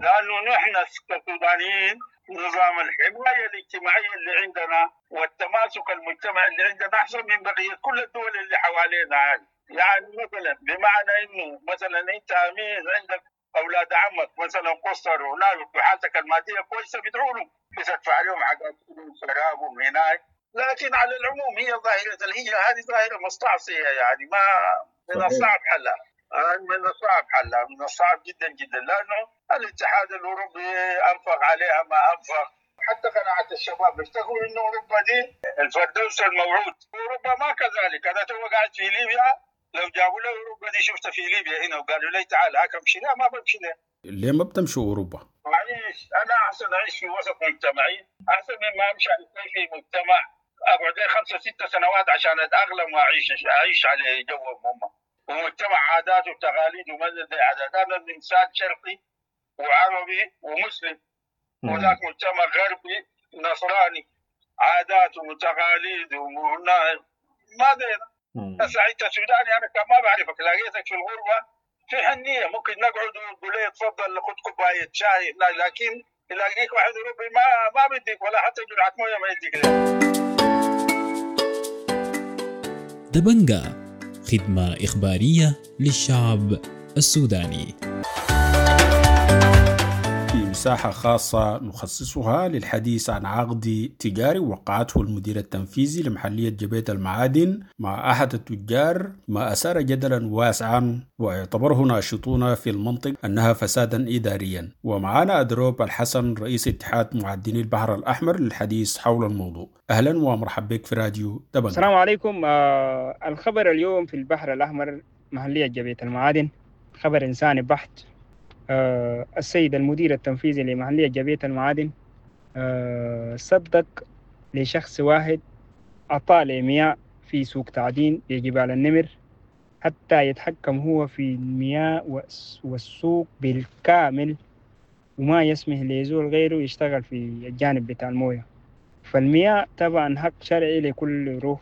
Speaker 3: لأنه نحن كسودانيين نظام الحماية الاجتماعية اللي عندنا والتماسك المجتمعي اللي عندنا أحسن من بقية كل الدول اللي حوالينا هذه. يعني مثلا بمعنى إنه مثلا أنت أمين عندك أولاد عمك مثلا قصر ولا وحالتك المادية كويسة، بتعولوا بتدفع لهم حقاتهم شرابهم هناك. لكن على العموم هي ظاهرة الهجرة هذه ظاهرة مستعصية، يعني ما من الصعب حلها، من الصعب حلها، من الصعب جدا جدا، لأنه الاتحاد الأوروبي أنفق عليها ما أنفق. حتى قناعة الشباب بيفتكروا إنه أوروبا دي الفردوس الموعود، أوروبا ما كذلك. أنا تو قاعد في ليبيا، لو جابوا لي أوروبا دي شفتها في ليبيا هنا وقالوا لي تعال هاك امشي لها، ما بمشي لها.
Speaker 7: ليه ما بتمشوا أوروبا؟
Speaker 3: معلش أنا أحسن أعيش في وسط مجتمعي أحسن مما أمشي في مجتمع أقعد لي خمسة ستة سنوات عشان أتأقلم وأعيش أعيش على جوهم هم، ومجتمع عادات وتقاليد ومدى عادات. أنا إنسان شرقي وعربي ومسلم، وذاك مجتمع غربي نصراني، عادات وتقاليد وما دينا. بس أنت سوداني أنا كان ما بعرفك، لقيتك في الغربة في حنية ممكن نقعد ونقول لي تفضل خد كوباية شاي، لكن يلاقيك واحد أوروبي ما ما بديك ولا حتى جرعة موية ما يديك.
Speaker 11: دبنجا، خدمة إخبارية للشعب السوداني.
Speaker 7: في مساحة خاصة نخصصها للحديث عن عقد تجاري وقعته المدير التنفيذي لمحلية جبيت المعادن مع أحد التجار، ما أثار جدلا واسعا واعتبره ناشطون في المنطقة أنها فسادا إداريا. ومعنا أدروب الحسن رئيس اتحاد معدني البحر الأحمر للحديث حول الموضوع. أهلا ومرحبا بك في راديو دبنجا.
Speaker 5: السلام عليكم. آه الخبر اليوم في البحر الأحمر محلية جبيت المعادن خبر إنساني بحت. آه السيد المدير التنفيذي لمحلية جبيت المعادن آه صدق لشخص واحد عطاء لمياه في سوق تعدين لجبال النمر حتى يتحكم هو في المياه والسوق بالكامل، وما يسمح لزول غيره يشتغل في الجانب بتاع الموية. فالمياه طبعا حق شرعي لكل روح،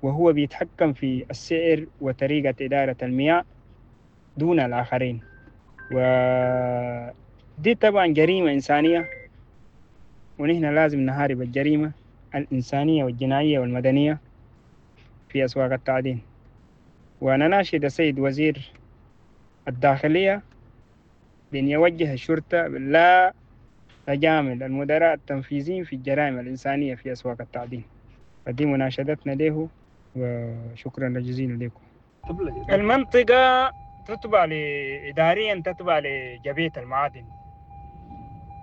Speaker 5: وهو بيتحكم في السعر وطريقة إدارة المياه دون الآخرين، ودي طبعا جريمة إنسانية، ونحن لازم نهارب الجريمة الإنسانية والجنائية والمدنية في أسواق التعدين. ونناشد السيد وزير الداخلية بأن يوجه الشرطة لا تجامل المدراء التنفيذيين في الجرائم الإنسانية في أسواق التعدين. فدي مناشدتنا له، وشكرا جزيلا لكم. المنطقة تتبع إداريا تتبع لجبيت المعادن،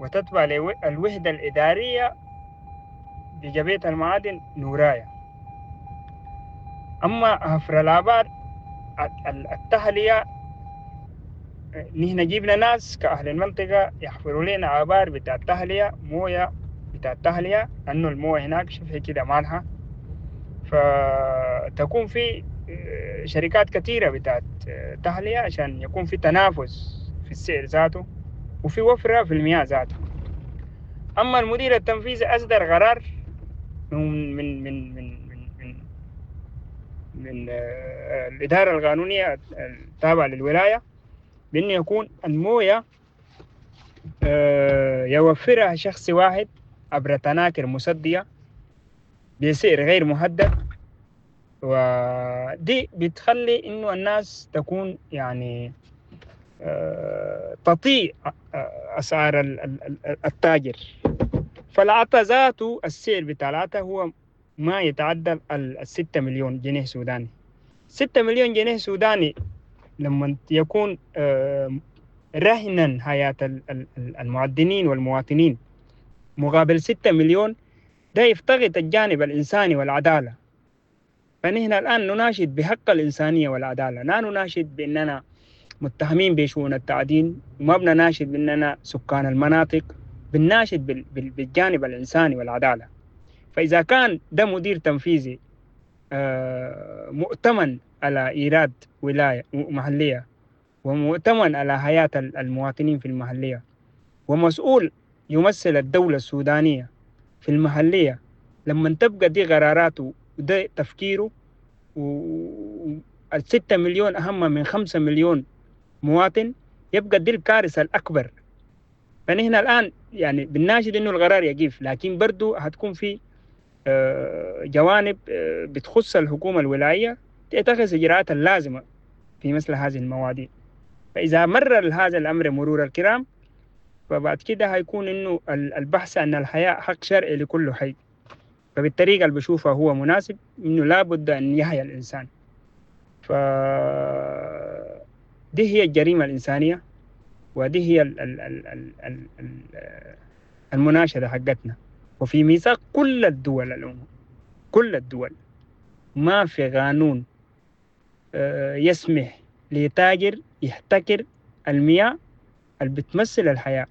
Speaker 5: وتتبع للوحدة الإدارية لجبيت المعادن نورايا. أما حفر الآبار التهلية، نحن جبنا ناس كأهل المنطقة يحفروا لنا آبار بتاع التهلية، موية بتاع التهلية، لأنه الموية هناك شبه كده مالها، فتكون في شركات كثيرة بتاعت تهلية عشان يكون في تنافس في السعر ذاته وفي وفرة في المياه ذاته. أما المدير التنفيذي أصدر قرار من من من من من من, من الإدارة القانونية التابعة للولاية بأنه يكون الموية يوفرها شخص واحد عبر تناكر مصدية بسعر غير محدد، ودي بتخلي إنه الناس تكون يعني تطيع أسعار التاجر. فالعطا ذاته السعر بتاع العطا هو ما يتعدى الستة مليون جنيه سوداني. ستة مليون جنيه سوداني لما يكون رهنا حياة المعدنين والمواطنين مقابل ستة مليون، ده يفتقد الجانب الإنساني والعدالة. فنحن الآن نناشد بحق الإنسانية والعدالة، لا نناشد بأننا متهمين بشؤون التعدين، وما بنناشد بأننا سكان المناطق، بنناشد بالجانب الإنساني والعدالة. فإذا كان ده مدير تنفيذي مؤتمن على إيراد ولاية محلية، ومؤتمن على حياة المواطنين في المحلية، ومسؤول يمثل الدولة السودانية في المحلية، لما تبقى دي قراراته وده تفكيره، والستة مليون أهم من خمسة مليون مواطن، يبقى دي الكارثة الأكبر. فنحن الآن يعني بنناشد إنه القرار يقف، لكن برضو هتكون في جوانب بتخص الحكومة الولاية تتخذ إجراءات اللازمة في مثل هذه المواضيع. فإذا مر هذا الأمر مرور الكرام، فبعد كده هيكون إنه البحث عن الحياة حق شرعي لكل حي. فبالطريقة اللي بشوفها هو مناسب إنه لابد أن يحيا الإنسان. ف دي هي الجريمة الإنسانية، ودي هي ال ال ال ال ال ال المناشدة حقتنا. وفي ميثاق كل الدول الأمم، كل الدول ما في قانون يسمح لتاجر يحتكر المياه اللي بتمثل الحياة.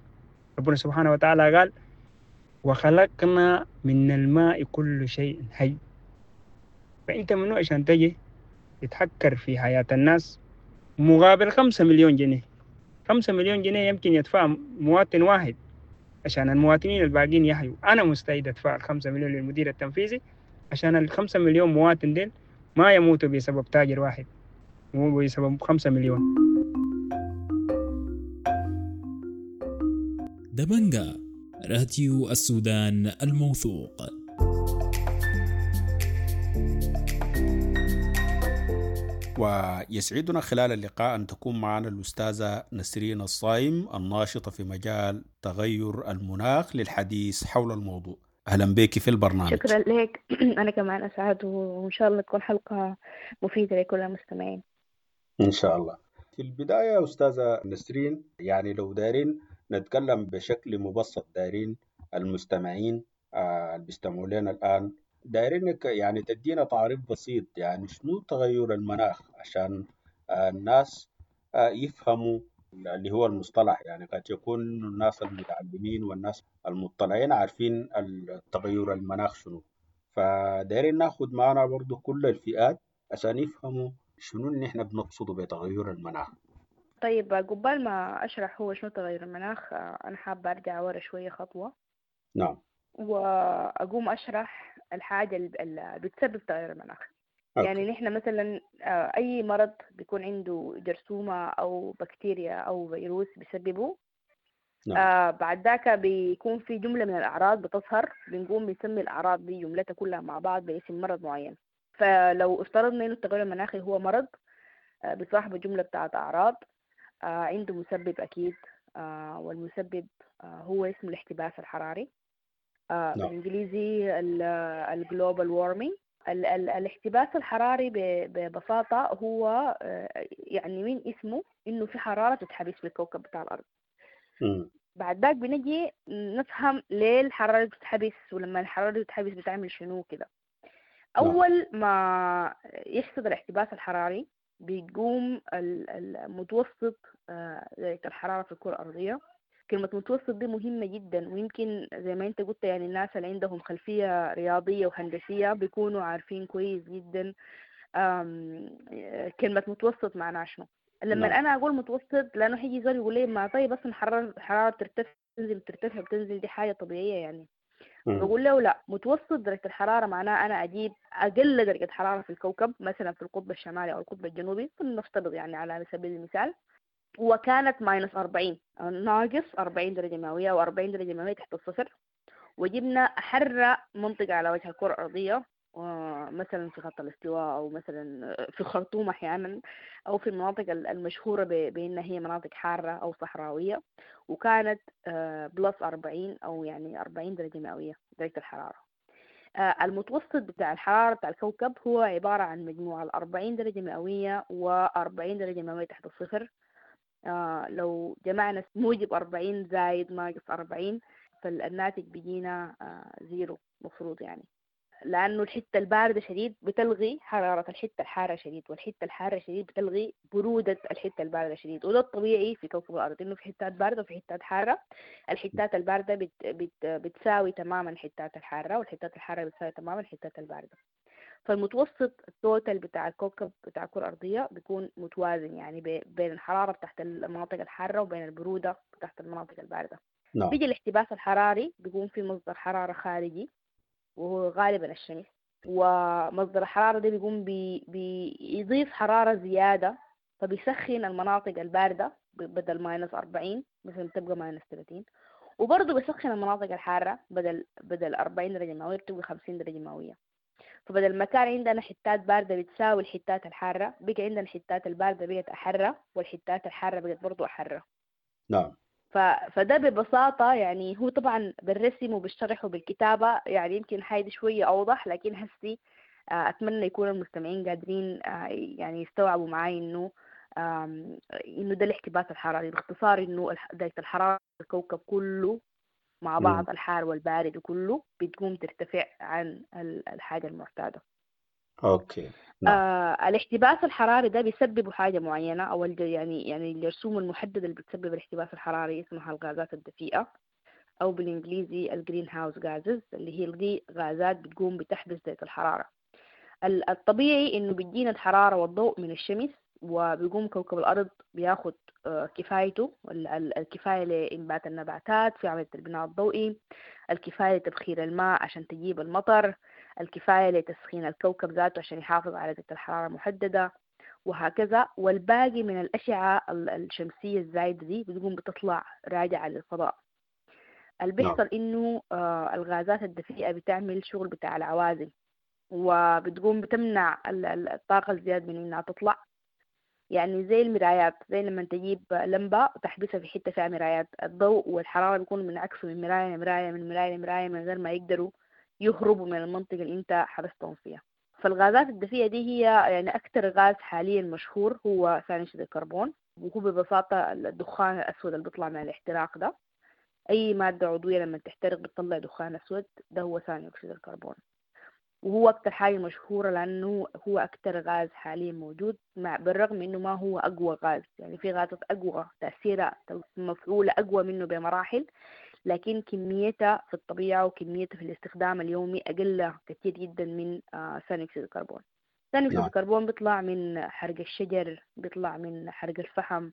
Speaker 5: ربنا سبحانه وتعالى قال وخلقنا من الماء كل شيء حي. فأنت منو عشان تجي تتحكر في حياة الناس مقابل خمسة مليون جنيه؟ خمسة مليون جنيه يمكن يدفع مواطن واحد عشان المواطنين الباقين يحيوا. أنا مستعد أدفع الخمسة مليون للمدير التنفيذي عشان الخمسة مليون مواطن ديل ما يموتوا بسبب تاجر واحد وبسبب خمسة مليون.
Speaker 11: دبنجا، راديو السودان الموثوق.
Speaker 7: ويسعدنا خلال اللقاء أن تكون معنا الأستاذة نسرين الصايم الناشطة في مجال تغير المناخ للحديث حول الموضوع. أهلا بك في البرنامج.
Speaker 4: شكرا لك. أنا كمان أسعد، وإن شاء الله تكون حلقة مفيدة لكل المستمعين
Speaker 7: إن شاء الله. في البداية أستاذة نسرين، يعني لو دارين نتكلم بشكل مبسط، دارين المستمعين اللي بيستمعوا لنا الآن، دايرينك يعني تدينا تعريف بسيط، يعني شنو تغير المناخ عشان الناس يفهموا اللي هو المصطلح. يعني قد يكون الناس المتعلمين والناس المطلعين عارفين التغير المناخ شنو، فدايرين ناخد معنا برضو كل الفئات عشان يفهموا شنو اللي احنا بنقصده بتغير المناخ.
Speaker 4: طيب، قبل ما أشرح هو شنو تغير المناخ، أنا حابة أرجع ورا شوية خطوة.
Speaker 7: نعم.
Speaker 4: وأقوم أشرح الحاجة اللي بتسبب تغير المناخ.
Speaker 7: أوكي.
Speaker 4: يعني نحن مثلا أي مرض بيكون عنده جرثومة أو بكتيريا أو فيروس بيسببه.
Speaker 7: نعم.
Speaker 4: آه بعد ذاك بيكون في جملة من الأعراض بتظهر، بنقوم بنسمي الأعراض دي جملتها كلها مع بعض باسم مرض معين. فلو افترضنا إنه التغير المناخي هو مرض آه بصاحبه جملة بتاعت أعراض، آه عنده مسبب أكيد، آه والمسبب آه هو اسمه الاحتباس الحراري. آه
Speaker 7: نعم.
Speaker 4: بالإنجليزي ال global warming. الاحتباس الحراري ببساطة هو يعني من اسمه إنه في حرارة تتحبس في الكوكب بتاع الأرض.
Speaker 7: م.
Speaker 4: بعد ذاك بنجي نفهم ليه الحرارة بتتحبس، ولما الحرارة بتتحبس بتعمل شنو كده. أول ما يحصل الاحتباس الحراري بيقوم المتوسط درجة الحرارة في الكرة الأرضية. كلمة متوسط دي مهمة جدا، ويمكن زي ما انت قلت يعني الناس اللي عندهم خلفية رياضية وهندسية بيكونوا عارفين كويس جدا كلمة متوسط معناها شنو. لما
Speaker 7: نعم.
Speaker 4: أنا أقول متوسط، لأنه حيجي زول يقول لي ما طيب أصلا حرارة حرارة ترتفع تنزل ترتفع بتنزل، دي حاجة طبيعية يعني.
Speaker 7: مم.
Speaker 4: بقول له لا، متوسط درجة الحرارة معناه أنا أجيب أقل درجة حرارة في الكوكب مثلا في القطب الشمالي أو القطب الجنوبي، نفترض يعني على سبيل المثال، وكانت minus أربعين، ناقص أربعين درجة مئوية أو أربعين درجة مئوية تحت الصفر، وجبنا أحر منطقة على وجه الكرة الأرضية مثلا في خط الاستواء أو مثلا في الخرطوم أحيانا، أو في المناطق المشهورة بأنها هي مناطق حارة أو صحراوية، وكانت plus أربعين أو يعني أربعين درجة مئوية درجة الحرارة. آه، المتوسط بتاع الحرارة بتاع الكوكب هو عبارة عن مجموع الأربعين درجة مئوية وأربعين درجة مئوية تحت الصفر. آه، لو جمعنا موجب أربعين زايد ناقص أربعين فالناتج بيجينا آه، zero مفروض يعني، لأنه الحتة الباردة شديد بتلغي حرارة الحتة الحارة شديد، والحتة الحارة شديد بتلغي برودة الحتة الباردة شديد. وده الطبيعي في كوكب الأرض، إنه في حتات باردة وفي حتات حارة. الحتات الباردة بت بت بتساوي تماما الحتات الحارة، والحتات الحارة بتساوي تماما الحتات الباردة. فالمتوسط ال total بتاع الكوكب بتاع الكرة الأرضية بيكون متوازن، يعني بي- بين الحرارة بتاعت المناطق الحارة وبين البرودة بتاعت المناطق الباردة.
Speaker 7: نعم.
Speaker 4: بيجي الاحتباس الحراري، بيكون في مصدر حرارة خارجي وهو غالبا الشمس، ومصدر الحرارة ده بيقوم بي بيضيف حرارة زيادة، فبيسخن المناطق الباردة ب- بدل minus أربعين مثلا تبقى minus ثلاثين، وبرضه بيسخن المناطق الحارة بدل بدل أربعين درجة مئوية بتبقى خمسين درجة مئوية. فبدل ما كان عندنا حتات باردة بتساوي الحتات الحارة، بقى عندنا الحتات الباردة بقت أحرة، والحتات الحارة بقت برضه أحرة.
Speaker 7: نعم.
Speaker 4: ف... فده ببساطة يعني، هو طبعا بالرسم وبالشرح وبالكتابة يعني يمكن حاجة شوية أوضح، لكن هسي آه، أتمنى يكون المستمعين قادرين آه، يعني يستوعبوا معاي إنه آم، إنه ده الاحتباس الحراري باختصار، إنه الح- درجة الحرارة الكوكب كله مع
Speaker 7: مم.
Speaker 4: بعض، الحار والبارد وكله، بتقوم ترتفع عن ال- الحاجة المعتادة.
Speaker 7: okay. نعم.
Speaker 4: آه الاحتباس الحراري ده بيسببه حاجة معينة، أو الج- يعني يعني الجرثومة المحددة اللي بتسبب الاحتباس الحراري اسمها الغازات الدفيئة، أو بالإنجليزي ال greenhouse gases، اللي هي دي غازات بتقوم بتحبس درجة الحرارة. ال- الطبيعي إنه بيجينا الحرارة والضوء من الشمس، وبيقوم كوكب الأرض بياخد آه، كفايته، ال- ال- الكفاية لإنبات النباتات في عملية البناء الضوئي، الكفاية لتبخير الماء عشان تجيب المطر، الكفاية لتسخين الكوكب ذاته عشان يحافظ على درجة الحرارة المحددة، وهكذا. والباقي من الأشعة ال- الشمسية الزايدة دي بتقوم بتطلع راجعة للفضاء. اللي
Speaker 7: نعم.
Speaker 4: بيحصل إنه آه، الغازات الدفيئة بتعمل شغل بتاع العوازل، وبتقوم بتمنع ال- ال- الطاقة الزيادة من إنها تطلع. يعني زي المرايات، زي لما تجيب لمبة وتحبسها في حتة فيها مرايات، الضوء والحرارة بيكونوا منعكسوا من مراية لمراية، من مراية لمراية، من غير ما يقدروا يهربوا من المنطقة اللي انت حبستهم فيها. فالغازات الدفيئة دي هي يعني أكتر غاز حاليا مشهور هو ثاني أكسيد الكربون، وهو ببساطة الدخان الأسود اللي بيطلع من الاحتراق ده. أي مادة عضوية لما تحترق بتطلع دخان أسود، ده هو ثاني أكسيد الكربون، وهو أكتر حاجة مشهورة لأنه هو أكتر غاز حاليا موجود، مع بالرغم إنه ما هو أقوى غاز، يعني في غازات أقوى تأثيرها مفعولة أقوى منه بمراحل، لكن كميتها في الطبيعة وكميتها في الاستخدام اليومي أقل كثير جدا من آه، ثاني أكسيد الكربون. ثاني أكسيد
Speaker 7: نعم.
Speaker 4: الكربون بيطلع من حرق الشجر، بيطلع من حرق الفحم،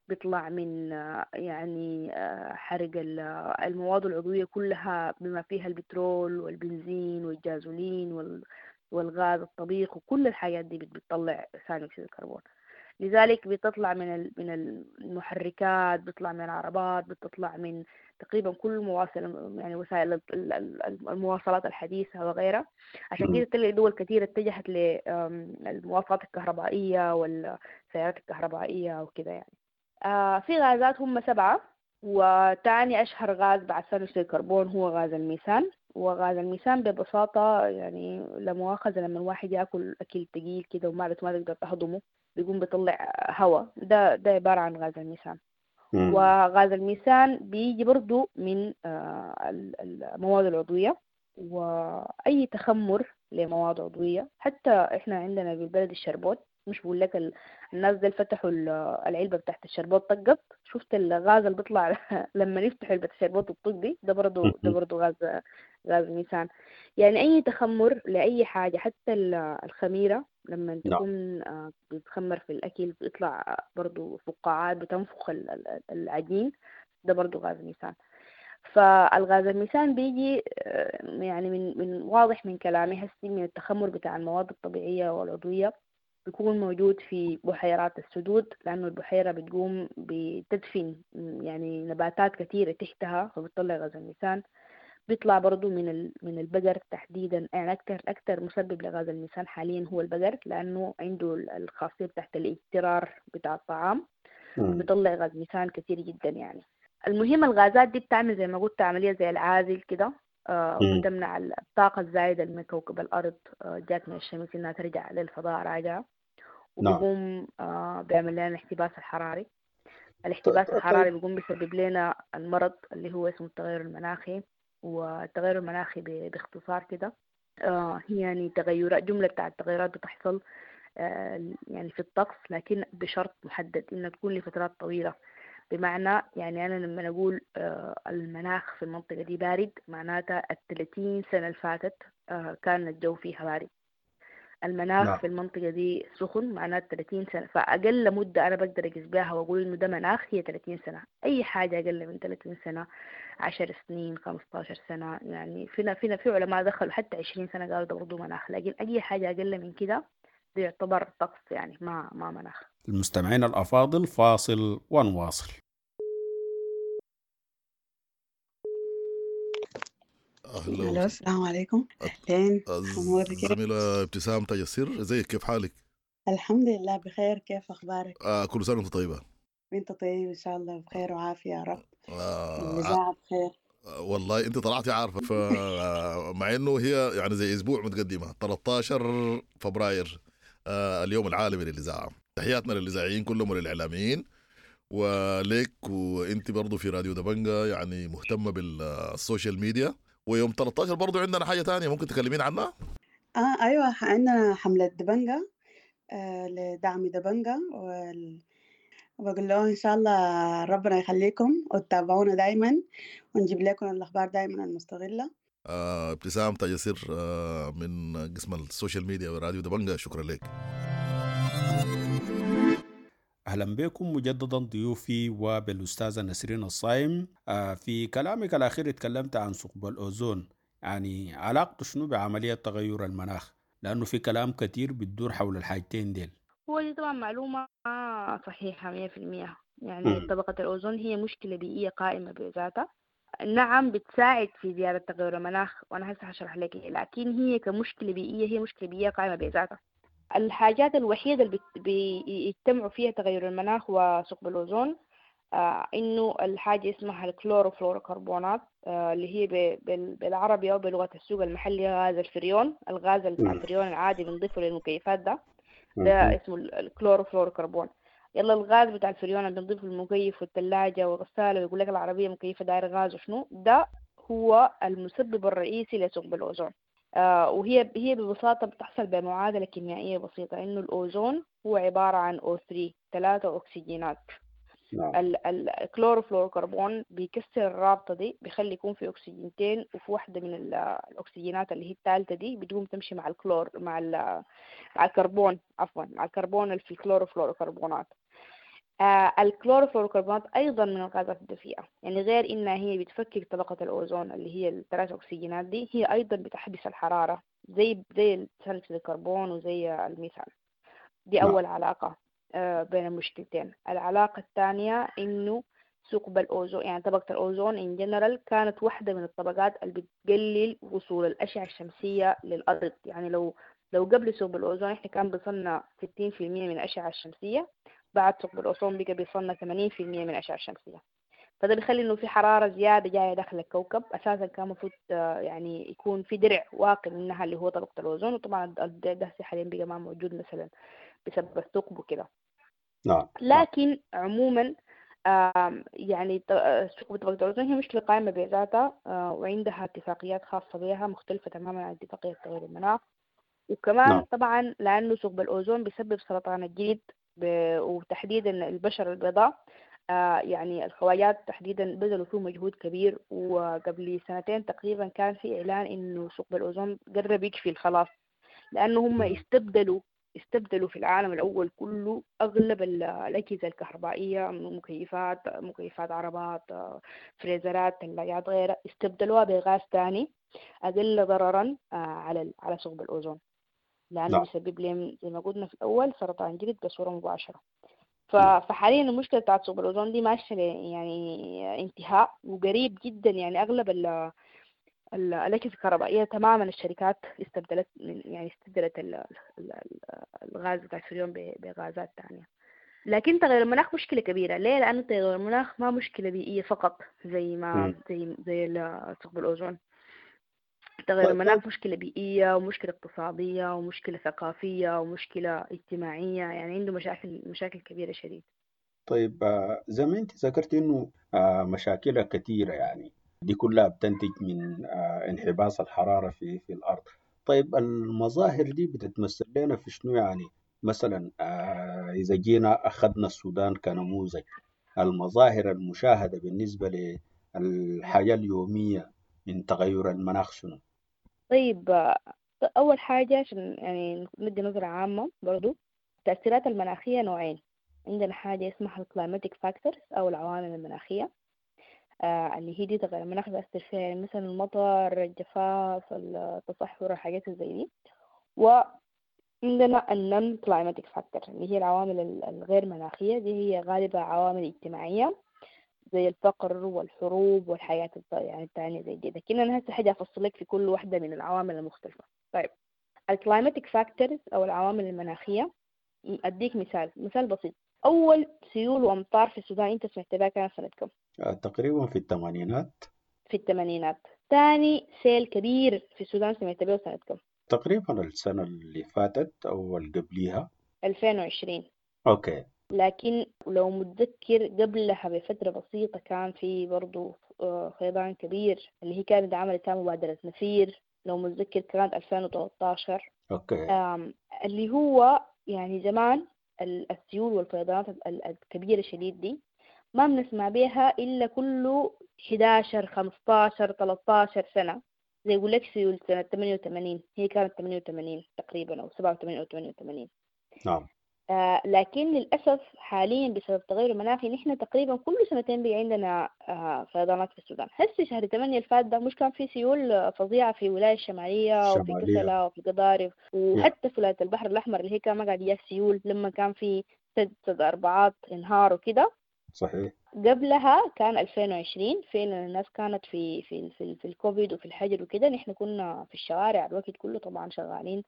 Speaker 4: بيطلع من آه، يعني آه، حرق ال- آه، المواد العضوية كلها بما فيها البترول والبنزين والجازولين وال- والغاز الطبيخ، وكل الحاجات دي بت- بتطلع ثاني أكسيد الكربون. لذلك بتطلع من ال- من المحركات، بتطلع من العربات، بتطلع من تقريبا كل مواصل يعني وسائل ال- ال- ال- المواصلات الحديثة وغيرها. عشان
Speaker 7: مم.
Speaker 4: كده تلاقي دول كثيرة اتجهت للمواصلات الكهربائية والسيارات الكهربائية وكده يعني. آه في غازات هم سبعة، وتاني أشهر غاز بعد ثاني أكسيد الكربون هو غاز الميثان. وغاز الميثان ببساطة يعني لا مؤاخذة لما الواحد ياكل أكل تقيل كده ومعدته ما تقدر تهضمه بيقوم بيطلع هواء، ده ده عبارة عن غاز الميثان.
Speaker 7: مم.
Speaker 4: وغاز الميثان بيجي برضو من آه، ال- المواد العضوية، وأي تخمر لمواد عضوية. حتى إحنا عندنا بالبلد الشربوت، مش بقول لك ال- الناس دي فتحوا ال- العلبة بتاعت الشربوت طقت، شفت الغاز اللي بيطلع لما يفتحوا علبة الشربوت الطق دي، ده برضو ده برضو غاز غاز ميثان. يعني أي تخمر لأي حاجة، حتى ال- الخميرة لما
Speaker 7: نعم.
Speaker 4: تكون آه، بتخمر في الأكل بيطلع برضو فقاعات بتنفخ ال- ال- العجين، ده برضو غاز ميثان. فالغاز الميثان بيجي آه، يعني من من واضح من كلامي هسي من التخمر بتاع المواد الطبيعية والعضوية، بيكون موجود في بحيرات السدود، لأنه البحيرة بتقوم بتدفن يعني نباتات كثيرة تحتها فبتطلع غاز الميثان. بيطلع برضو من ال- من البقر تحديدا، يعني أكتر أكتر مسبب لغاز الميثان حاليا هو البقر، لأنه عنده ال- الخاصية بتاعت الاجترار بتاع الطعام،
Speaker 7: مم.
Speaker 4: بيطلع غاز ميثان كثير جدا يعني. المهم الغازات دي بتعمل زي ما قلت عملية زي العازل كده، آه،
Speaker 7: مم.
Speaker 4: وبتمنع الطاقة الزايدة من كوكب الأرض آه، جات من الشمس إنها ترجع للفضاء راجعة.
Speaker 7: نعم.
Speaker 4: وبيقوم آه، بيعمل لنا الاحتباس الحراري. الاحتباس الحراري بيقوم بيسبب لنا المرض اللي هو اسمه التغير المناخي. والتغير المناخي ب- باختصار كده آه، هي يعني تغيرات، جملة بتاع التغيرات بتحصل آه، يعني في الطقس، لكن بشرط محدد إنها تكون لفترات طويلة. بمعنى يعني أنا لما أقول آه، المناخ في المنطقة دي بارد، معناتها الثلاثين سنة اللي فاتت آه، كان الجو فيها بارد. المناخ
Speaker 7: نعم.
Speaker 4: في المنطقة دي سخن، معناته ثلاثين سنة. فأقل مدة أنا بقدر أقيس بها وأقول إنه ده مناخ هي ثلاثين سنة. أي حاجة أقل من ثلاثين سنة، عشر سنين، خمستاشر سنة، يعني فينا فينا في علماء دخلوا حتى عشرين سنة قالوا ده برضه مناخ، لكن أي حاجة أقل من كده ده يعتبر طقس، يعني ما ما مناخ.
Speaker 7: المستمعين الأفاضل، فاصل ونواصل.
Speaker 2: أهلا
Speaker 13: الو، السلام عليكم. اهلين حمودة، كيف؟
Speaker 2: الزميلة ابتسام تاج السر، ازيك، كيف حالك؟
Speaker 13: الحمد لله بخير، كيف اخبارك؟
Speaker 2: آه كل سنة وانت طيبة.
Speaker 13: وانت طيب ان شاء الله، بخير وعافية يا رب.
Speaker 2: آه
Speaker 13: الاذاعة بخير.
Speaker 2: والله انت طلعتي عارفة، فمع انه هي يعني زي اسبوع متقدمة، ثلاثة عشر فبراير آه اليوم العالمي للإذاعة. تحياتنا للإذاعيين كلهم وللإعلاميين وليك، وانت برضو في راديو دبنجة يعني مهتمة بال social media. ويوم ثلاثة عشر برضو عندنا حاجة تانية ممكن تكلمين عنها؟
Speaker 13: اه ايوه، عندنا حملة دبنجة آه لدعم دبنجة وال... وبقول لهم ان شاء الله ربنا يخليكم وتتابعونا دايما، ونجيب لكم الاخبار دايما المستغلة.
Speaker 2: آه ابتسام تاج السر آه من قسم ال social media وراديو دبنجة، شكرا لك.
Speaker 7: أهلا بكم مجددا ضيوفي وبالأستاذة نسرين الصايم. آه، في كلامك الأخير اتكلمت عن ثقب الأوزون، يعني علاقته شنو بعملية تغير المناخ؟ لأنه في كلام كتير بتدور حول الحاجتين ديل.
Speaker 4: هو دي طبعا معلومة ما صحيحة مية في المية. يعني
Speaker 7: مم.
Speaker 4: طبقة الأوزون هي مشكلة بيئية قائمة بذاتها، نعم بتساعد في زيادة تغير المناخ، وأنا هسه هشرح لك إيه، لكن هي كمشكلة بيئية هي مشكلة بيئية قائمة بذاتها. الحاجات الوحيدة اللي بت- بيجتمعوا فيها تغير المناخ وثقب الأوزون آه إنه الحاجة اسمها الكلوروفلوروكربونات، آه اللي هي ب- بال- بالعربي أو بلغة السوق المحلي غاز الفريون. الغاز بتاع الفريون العادي بنضيفه للمكيفات ده، ده اسمه ال- الكلوروفلوروكربون. يلا الغاز بتاع الفريون اللي بنضيفه للمكيف والثلاجة والغسالة، ويقول لك العربية مكيفة داير غاز وشنو ده، هو المسبب الرئيسي لثقب الأوزون. آه وهي هي ببساطة بتحصل بمعادلة كيميائية بسيطة، إنه الأوزون هو عبارة عن أو ثري، ثلاثة أكسجينات.
Speaker 7: نعم.
Speaker 4: ال- ال- الكلوروفلوروكربون بيكسر الرابطة دي، بيخلي يكون في أكسجينتين، وفي واحدة من ال- الأكسجينات اللي هي الثالثة دي بتقوم تمشي مع الكلور مع ال- مع الكربون، عفوا، مع الكربون اللي في الكلوروفلوروكربونات. آه الكلوروفلوروكربونات أيضا من الغازات الدفيئة، يعني غير إنها هي بتفكك طبقة الأوزون اللي هي الثلاث أكسجينات دي، هي أيضا بتحبس الحرارة زي زي ثاني أكسيد الكربون وزي الميثان. دي
Speaker 7: نعم.
Speaker 4: أول علاقة آه، بين المشكلتين. العلاقة الثانية إنه ثقب الأوزون، يعني طبقة الأوزون in general كانت واحدة من الطبقات اللي بتقلل وصول الأشعة الشمسية للأرض. يعني لو لو قبل ثقب الأوزون إحنا كان بيصلنا ستين في المية من الأشعة الشمسية، بعد ثقب الأوزون بقى بيصلنا ثمانين في المية من الأشعة الشمسية. فده بيخلي إنه في حرارة زيادة جاية داخل الكوكب. أساسا كان المفروض آه، يعني يكون في درع واقي منها اللي هو طبقة الأوزون، وطبعا الدرع ده حاليا بقى ما موجود مثلا بسبب الثقب وكده.
Speaker 7: نعم. نعم.
Speaker 4: لكن عموما آم، يعني ط- آه، ثقب طبقة الأوزون هي مشكلة قائمة بذاتها، آه، وعندها اتفاقيات خاصة بها مختلفة تماما عن اتفاقية تغير المناخ. وكمان
Speaker 7: نعم.
Speaker 4: طبعا لأنه ثقب الأوزون بيسبب سرطان الجلد ب- وتحديدا البشرة البيضاء، آه، يعني الخواجات تحديدا بذلوا فيه مجهود كبير. وقبل سنتين تقريبا كان في إعلان إنه ثقب الأوزون قرب يكفي خلاص، لأنه هم استبدلوا استبدلوا في العالم الأول كله أغلب ال- الأجهزة الكهربائية، مكيفات مكيفات عربات، آه، فريزرات، ثلاجات، غيرها، استبدلوها بغاز تاني أقل ضررا آه، على ال- على ثقب الأوزون، لأنه
Speaker 7: نعم.
Speaker 4: بيسبب لهم زي ما قلنا في الأول سرطان جلد بصورة مباشرة. ف-
Speaker 7: نعم.
Speaker 4: فحاليا المشكلة بتاعت ثقب الأوزون دي ماشية ل- يعني انتهاء وقريب جدا. يعني أغلب ال ال- الأجهزة الكهربائية تماما الشركات استبدلت من يعني استبدلت ال- ال- ال- الغاز بتاع الفريون ب- بغازات تانية. لكن تغير المناخ مشكلة كبيرة. ليه؟ لأنه تغير المناخ ما مشكلة بيئية فقط زي ما
Speaker 7: مم.
Speaker 4: زي زي ال- ثقب الأوزون. تغير المناخ مشكلة بيئية ومشكلة اقتصادية ومشكلة ثقافية ومشكلة اجتماعية، يعني عنده مشاكل مشاكل كبيرة شديد.
Speaker 7: طيب زي ما انت ذكرت انه مشاكلها كثيرة، يعني دي كلها بتنتج من انحباس الحرارة في في الأرض. طيب المظاهر دي بتتمثل لنا في شنو؟ يعني مثلا إذا جينا أخذنا السودان كنموذج، المظاهر المشاهدة بالنسبة للحياة اليومية من تغير المناخ شنو؟
Speaker 4: طيب أول حاجة عشان يعني ندي نظرة عامة برضو، التأثيرات المناخية نوعين. عندنا حاجة اسمها ال climatic factors أو العوامل المناخية، آه اللي هي دي تغير المناخ بيأثر فيها، يعني مثلا المطر، الجفاف، التصحر، الحاجات زي دي. وعندنا ال non climatic factor اللي هي العوامل الغير مناخية، دي هي غالبا عوامل اجتماعية زي الفقر والحروب والحياة يعني التانية زي دي. لكن أنا هسه حاجة أفصل لك في كل واحدة من العوامل المختلفة. طيب ال climatic factors أو العوامل المناخية، أديك مثال مثال بسيط. أول سيول وأمطار في السودان أنت سمعت بها كان سنة كم؟
Speaker 7: تقريبا في الثمانينات.
Speaker 4: في الثمانينات. ثاني سيل كبير في السودان سمعت به سنة كم؟
Speaker 7: تقريبا السنة اللي فاتت أو اللي قبليها،
Speaker 4: ألفين وعشرين.
Speaker 7: okay.
Speaker 4: لكن لو متذكر قبلها بفترة بسيطة كان في برضو فيضان كبير اللي هي كانت عملت مبادرة نفير، لو متذكر كانت ألفين وثلاثة عشر.
Speaker 7: okay.
Speaker 4: اللي هو يعني زمان السيول والفيضانات الكبيرة شديد دي ما بنسمع بيها إلا كله إحدى عشر خمسة عشر ثلاثة عشر سنة. زي يقول لك سيول سنة ثمانية وثمانين، هي كانت ثمانية وثمانين تقريبا أو سبعة وثمانين أو ثمانية وثمانين.
Speaker 7: نعم.
Speaker 4: آه لكن للأسف حاليا بسبب التغير المناخي نحن تقريبا كل سنتين بقى عندنا آه فيضانات في السودان. هسه شهر ثمانية الفات ده مش كان في سيول فظيعة في ولاية الشمالية وفي كسلا وفي قضارف وحتى في ولاية البحر الأحمر اللي هي كان ما قاعد يجيها سيول لما كان في سد سد أربعات انهار وكده.
Speaker 7: صحيح.
Speaker 4: قبلها كان ألفين وعشرين فعلا الناس كانت في في في, في الكوفيد وفي الحجر وكده، نحن كنا في الشوارع الوقت كله طبعا شغالين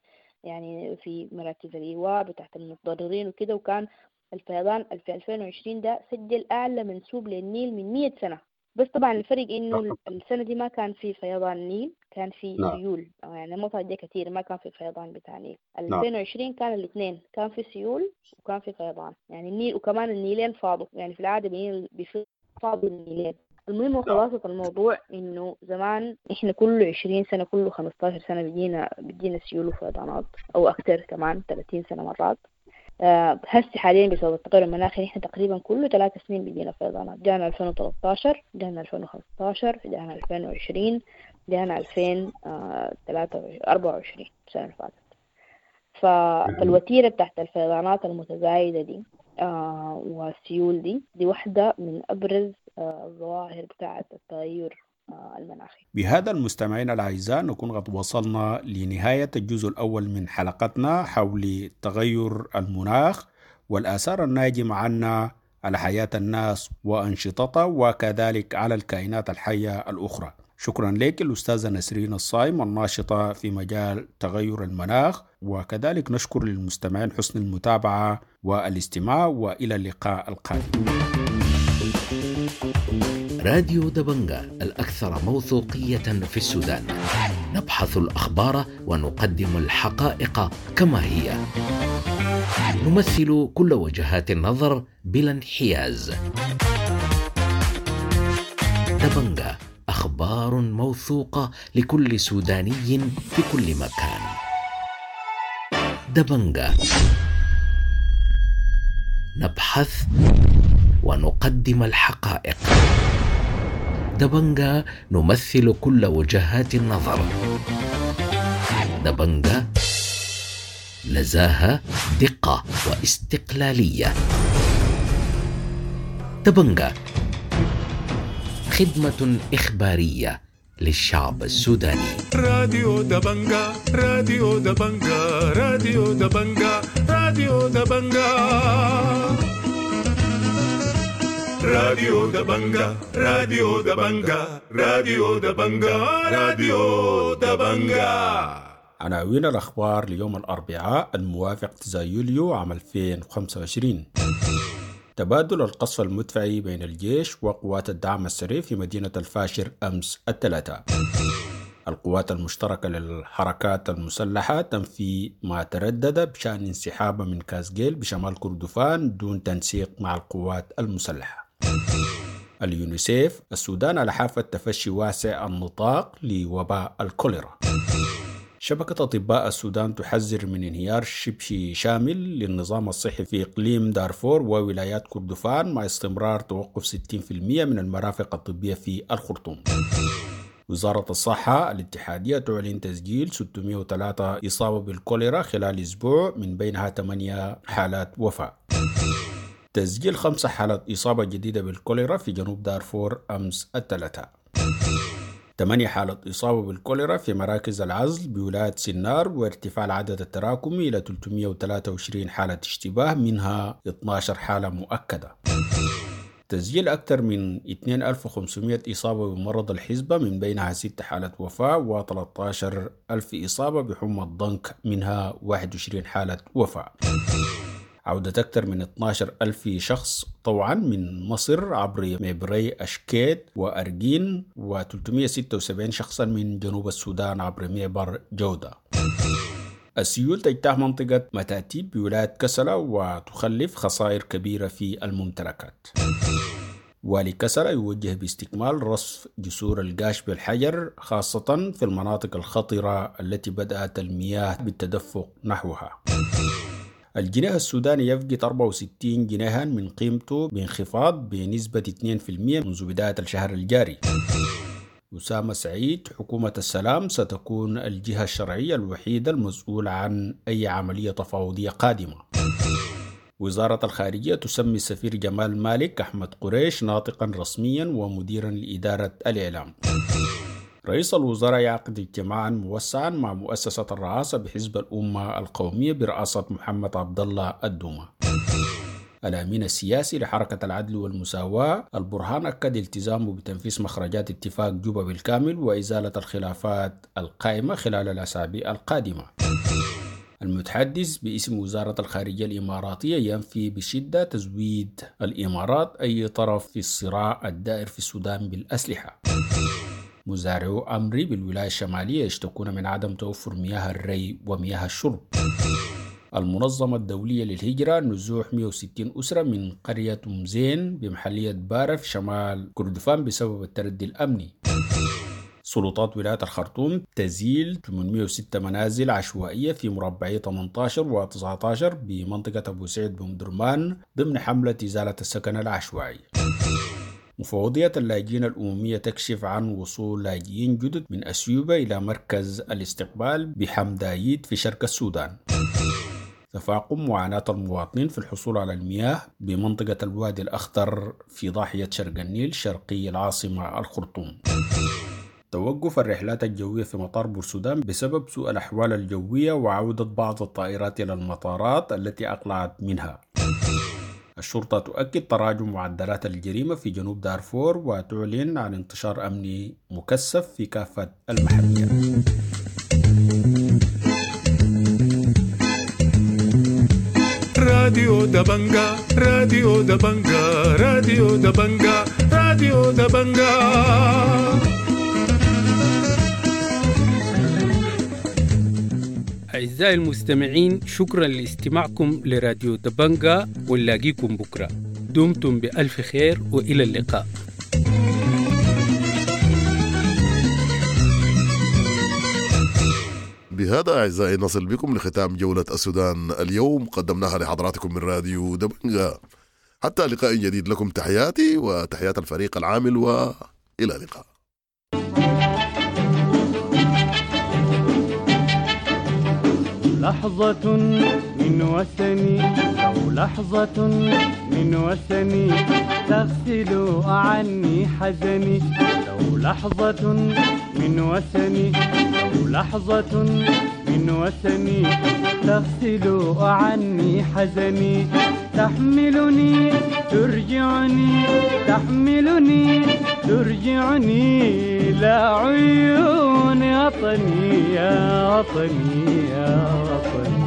Speaker 4: يعني في مراكز الإيواء بتاعت المتضررين وكده، وكان الفيضان في ألفين وعشرين ده سجل أعلى منسوب للنيل من مية سنة. بس طبعا الفرق إنه السنة دي ما كان في فيضان نيل، كان في سيول، يعني المطر دي كتير ما كان في فيضان بتاع نيل. ألفين وعشرين كان الاثنين، كان في سيول وكان في فيضان، يعني النيل وكمان النيلين فاضوا، يعني في العادة بيفاضوا النيلين. المهم وخلاصة الموضوع إنه زمان إحنا كل عشرين سنة كل خمستاشر سنة بيجينا بيجينا سيول وفيضانات أو أكثر كمان ثلاثين سنة مرات. أه هسه حاليا بسبب التغير المناخي إحنا تقريبا كل ثلاث سنين بيجينا فيضانات. جانا ألفين وثلاثة عشر، جانا ألفين وخمسة عشر، جانا ألفين وعشرين، جانا ألفين وأربعة وعشرين السنة اللي فاتت. فالوتيرة بتاعت الفيضانات المتزايدة دي آه والسيول دي دي واحدة من أبرز آه الظواهر بتاعة التغير آه المناخي.
Speaker 7: بهذا المستمعين الأعزاء نكون قد وصلنا لنهاية الجزء الأول من حلقتنا حول تغير المناخ والآثار الناجمة عنا على حياة الناس وأنشطتها وكذلك على الكائنات الحية الأخرى. شكرا لك الأستاذة نسرين الصايم الناشطة في مجال تغير المناخ، وكذلك نشكر للمستمعين حسن المتابعة والاستماع، وإلى اللقاء القادم.
Speaker 14: راديو دبنجا الأكثر موثوقية في السودان. نبحث الأخبار ونقدم الحقائق كما هي. نمثل كل وجهات النظر بلا انحياز. دبنجا، أخبار موثوقة لكل سوداني في كل مكان. دبنجا، نبحث ونقدم الحقائق. دبنجا، نمثل كل وجهات النظر. دبنجا، نزاهة، دقة واستقلالية. دبنجا، خدمة إخبارية للشعب السوداني.
Speaker 1: راديو دبنجا، راديو دبنجا، راديو دبنجا، راديو دبنجا، راديو دبنجا، راديو دبنجا، راديو دبنجا، راديو دبنجا.
Speaker 7: عناوين الأخبار ليوم الأربعاء الموافق تسعة يوليو عام ألفين وخمسة وعشرين. تبادل القصف المدفعي بين الجيش وقوات الدعم السريع في مدينة الفاشر أمس الثلاثاء. القوات المشتركة للحركات المسلحة تنفي ما تردد بشأن انسحابها من كازجيل بشمال كردفان دون تنسيق مع القوات المسلحة. اليونيسيف: السودان على حافة تفشي واسع النطاق لوباء الكوليرا. شبكة أطباء السودان تحذر من انهيار شبه شامل للنظام الصحي في إقليم دارفور وولايات كردفان مع استمرار توقف ستين بالمئة من المرافق الطبية في الخرطوم. وزارة الصحة الاتحادية تعلن تسجيل ستمائة وثلاثة إصابة بالكوليرا خلال أسبوع، من بينها ثمانية حالات وفاة. تسجيل خمسة حالات إصابة جديدة بالكوليرا في جنوب دارفور أمس الثلاثاء. ثمانية حالات إصابة بالكوليرا في مراكز العزل بولاية سنار، وارتفاع العدد التراكمي إلى ثلاثمائة وثلاثة وعشرين حالة اشتباه، منها اثني عشر حالة مؤكدة. تسجيل أكثر من اثنين ألف وخمسمائة إصابة بمرض الحزبة، من بينها ست حالات وفاة، وثلاثة عشر ألف إصابة بحمى الضنك، منها واحد وعشرين حالة وفاة. عودة أكثر من اثني عشر ألف شخص طوعا من مصر عبر مبري أشكيت وأرجين، وثلاثمائة وستة وسبعين شخصا من جنوب السودان عبر معبر جودة. السيول تجتاح منطقة متاتيب بولاية كسلة وتخلف خسائر كبيرة في الممتلكات. والي كسلة يوجه باستكمال رصف جسور القاش بالحجر، خاصة في المناطق الخطرة التي بدأت المياه بالتدفق نحوها. الجنيه السوداني يفقد أربعة وستين جنيها من قيمته بانخفاض بنسبة اثنين بالمئة منذ بداية الشهر الجاري. أسامة سعيد: حكومة السلام ستكون الجهة الشرعية الوحيدة المسؤولة عن أي عملية تفاوضية قادمة. وزارة الخارجية تسمي السفير جمال مالك أحمد قريش ناطقا رسميا ومديرا لإدارة الإعلام. رئيس الوزراء يعقد اجتماعا موسعا مع مؤسسة الرئاسة بحزب الأمة القومية برئاسة محمد عبد الله الدومة. الأمين السياسي لحركة العدل والمساواة البرهان أكد التزامه بتنفيذ مخرجات اتفاق جوبا بالكامل وإزالة الخلافات القائمة خلال الأسابيع القادمة. المتحدث باسم وزارة الخارجية الإماراتية ينفي بشدة تزويد الإمارات أي طرف في الصراع الدائر في السودان بالأسلحة. مزارعو أمري بالولاية الشمالية يشتكون من عدم توفر مياه الري ومياه الشرب. المنظمة الدولية للهجرة نزوح مئة وستين أسرة من قرية أم زين بمحلية بارة في شمال كردفان بسبب التردي الأمني. سلطات ولاية الخرطوم تزيل ثمانمائة وستة منازل عشوائية في مربعي ثمانية عشر و تسعة عشر بمنطقة أبو سعيد بمدرمان ضمن حملة إزالة السكن العشوائي. مفوضية اللاجئين الأممية تكشف عن وصول لاجئين جدد من أثيوبيا إلى مركز الاستقبال بحمدايد في شرق السودان. تفاقم معاناة المواطنين في الحصول على المياه بمنطقة الوادي الأخضر في ضاحية شرق النيل شرقي العاصمة الخرطوم. توقف الرحلات الجوية في مطار بورسودان بسبب سوء الأحوال الجوية وعودة بعض الطائرات إلى المطارات التي أقلعت منها. الشرطة تؤكد تراجع معدلات الجريمة في جنوب دارفور وتعلن عن انتشار أمني مكثف في كافة المحليات.
Speaker 1: راديو دبنجا، راديو دبنجا، راديو دبنجا، راديو دبنجا.
Speaker 15: أعزائي المستمعين، شكرا لاستماعكم لراديو دبنجا، ونلاقيكم بكرة. دمتم بألف خير وإلى اللقاء.
Speaker 2: بهذا أعزائي نصل بكم لختام جولة السودان اليوم، قدمناها لحضراتكم من راديو دبنجا. حتى لقاء جديد، لكم تحياتي وتحيات الفريق العامل، وإلى اللقاء.
Speaker 16: لحظة من وثني، لو لحظة من وثني تغسل عني حزني، لو لحظة من وثني، لو لحظة من وثني تغسل عني حزني، تحملني ترجعني، تحملني ترجعني لا عيون وطني يا وطني يا وطني.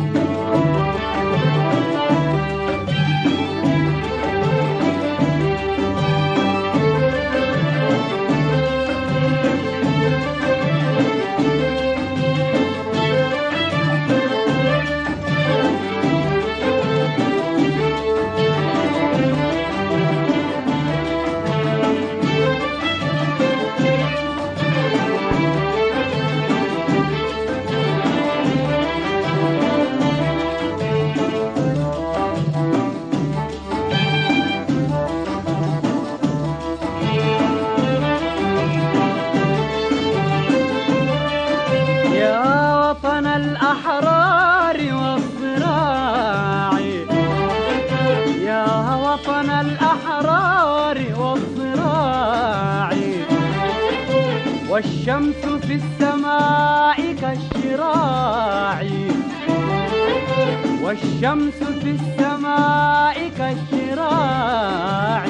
Speaker 16: والشمس في السماء كالشراع، والشمس في السماء كالشراع،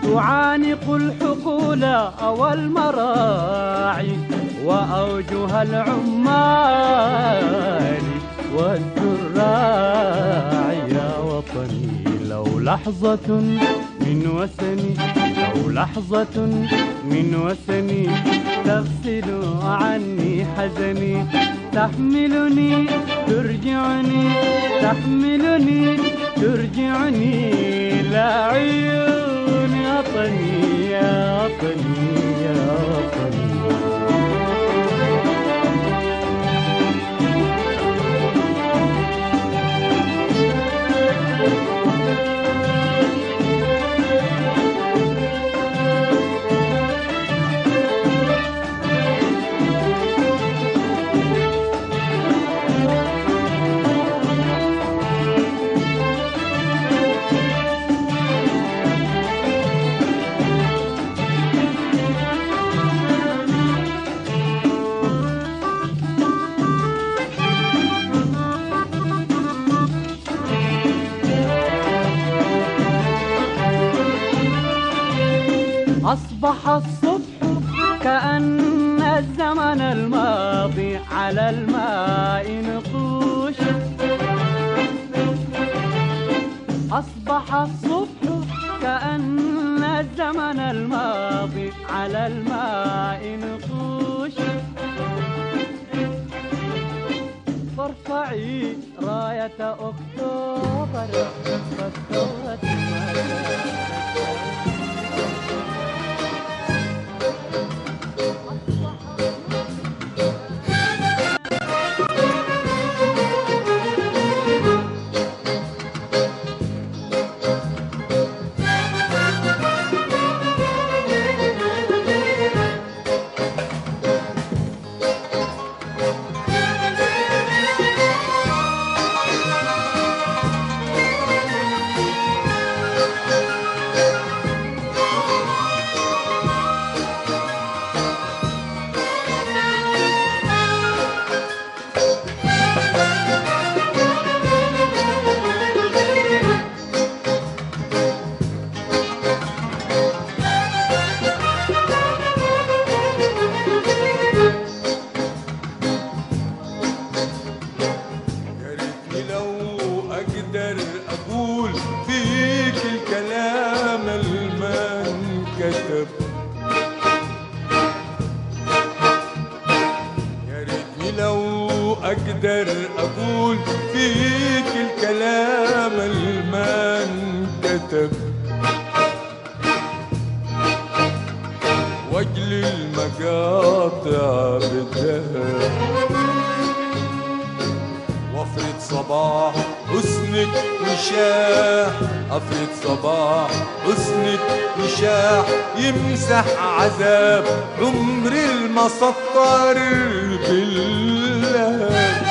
Speaker 16: تعانق الحقول والمراعي وأوجه العمال والزراع. يا وطني لو لحظة من وسني، لو لحظة من وسني تغسل عني حزني، تحملني ترجعني، تحملني ترجعني لا عيون وطني يا وطني يا وطني. أصبح الصبح كأن الزمن الماضي على الماء نقوش، أصبح الصبح كأن الزمن الماضي على الماء نقوش، فارفعي راية أكتوبر فالثورة ما زالت.
Speaker 1: يمسح عذاب عمر المسطر بالله.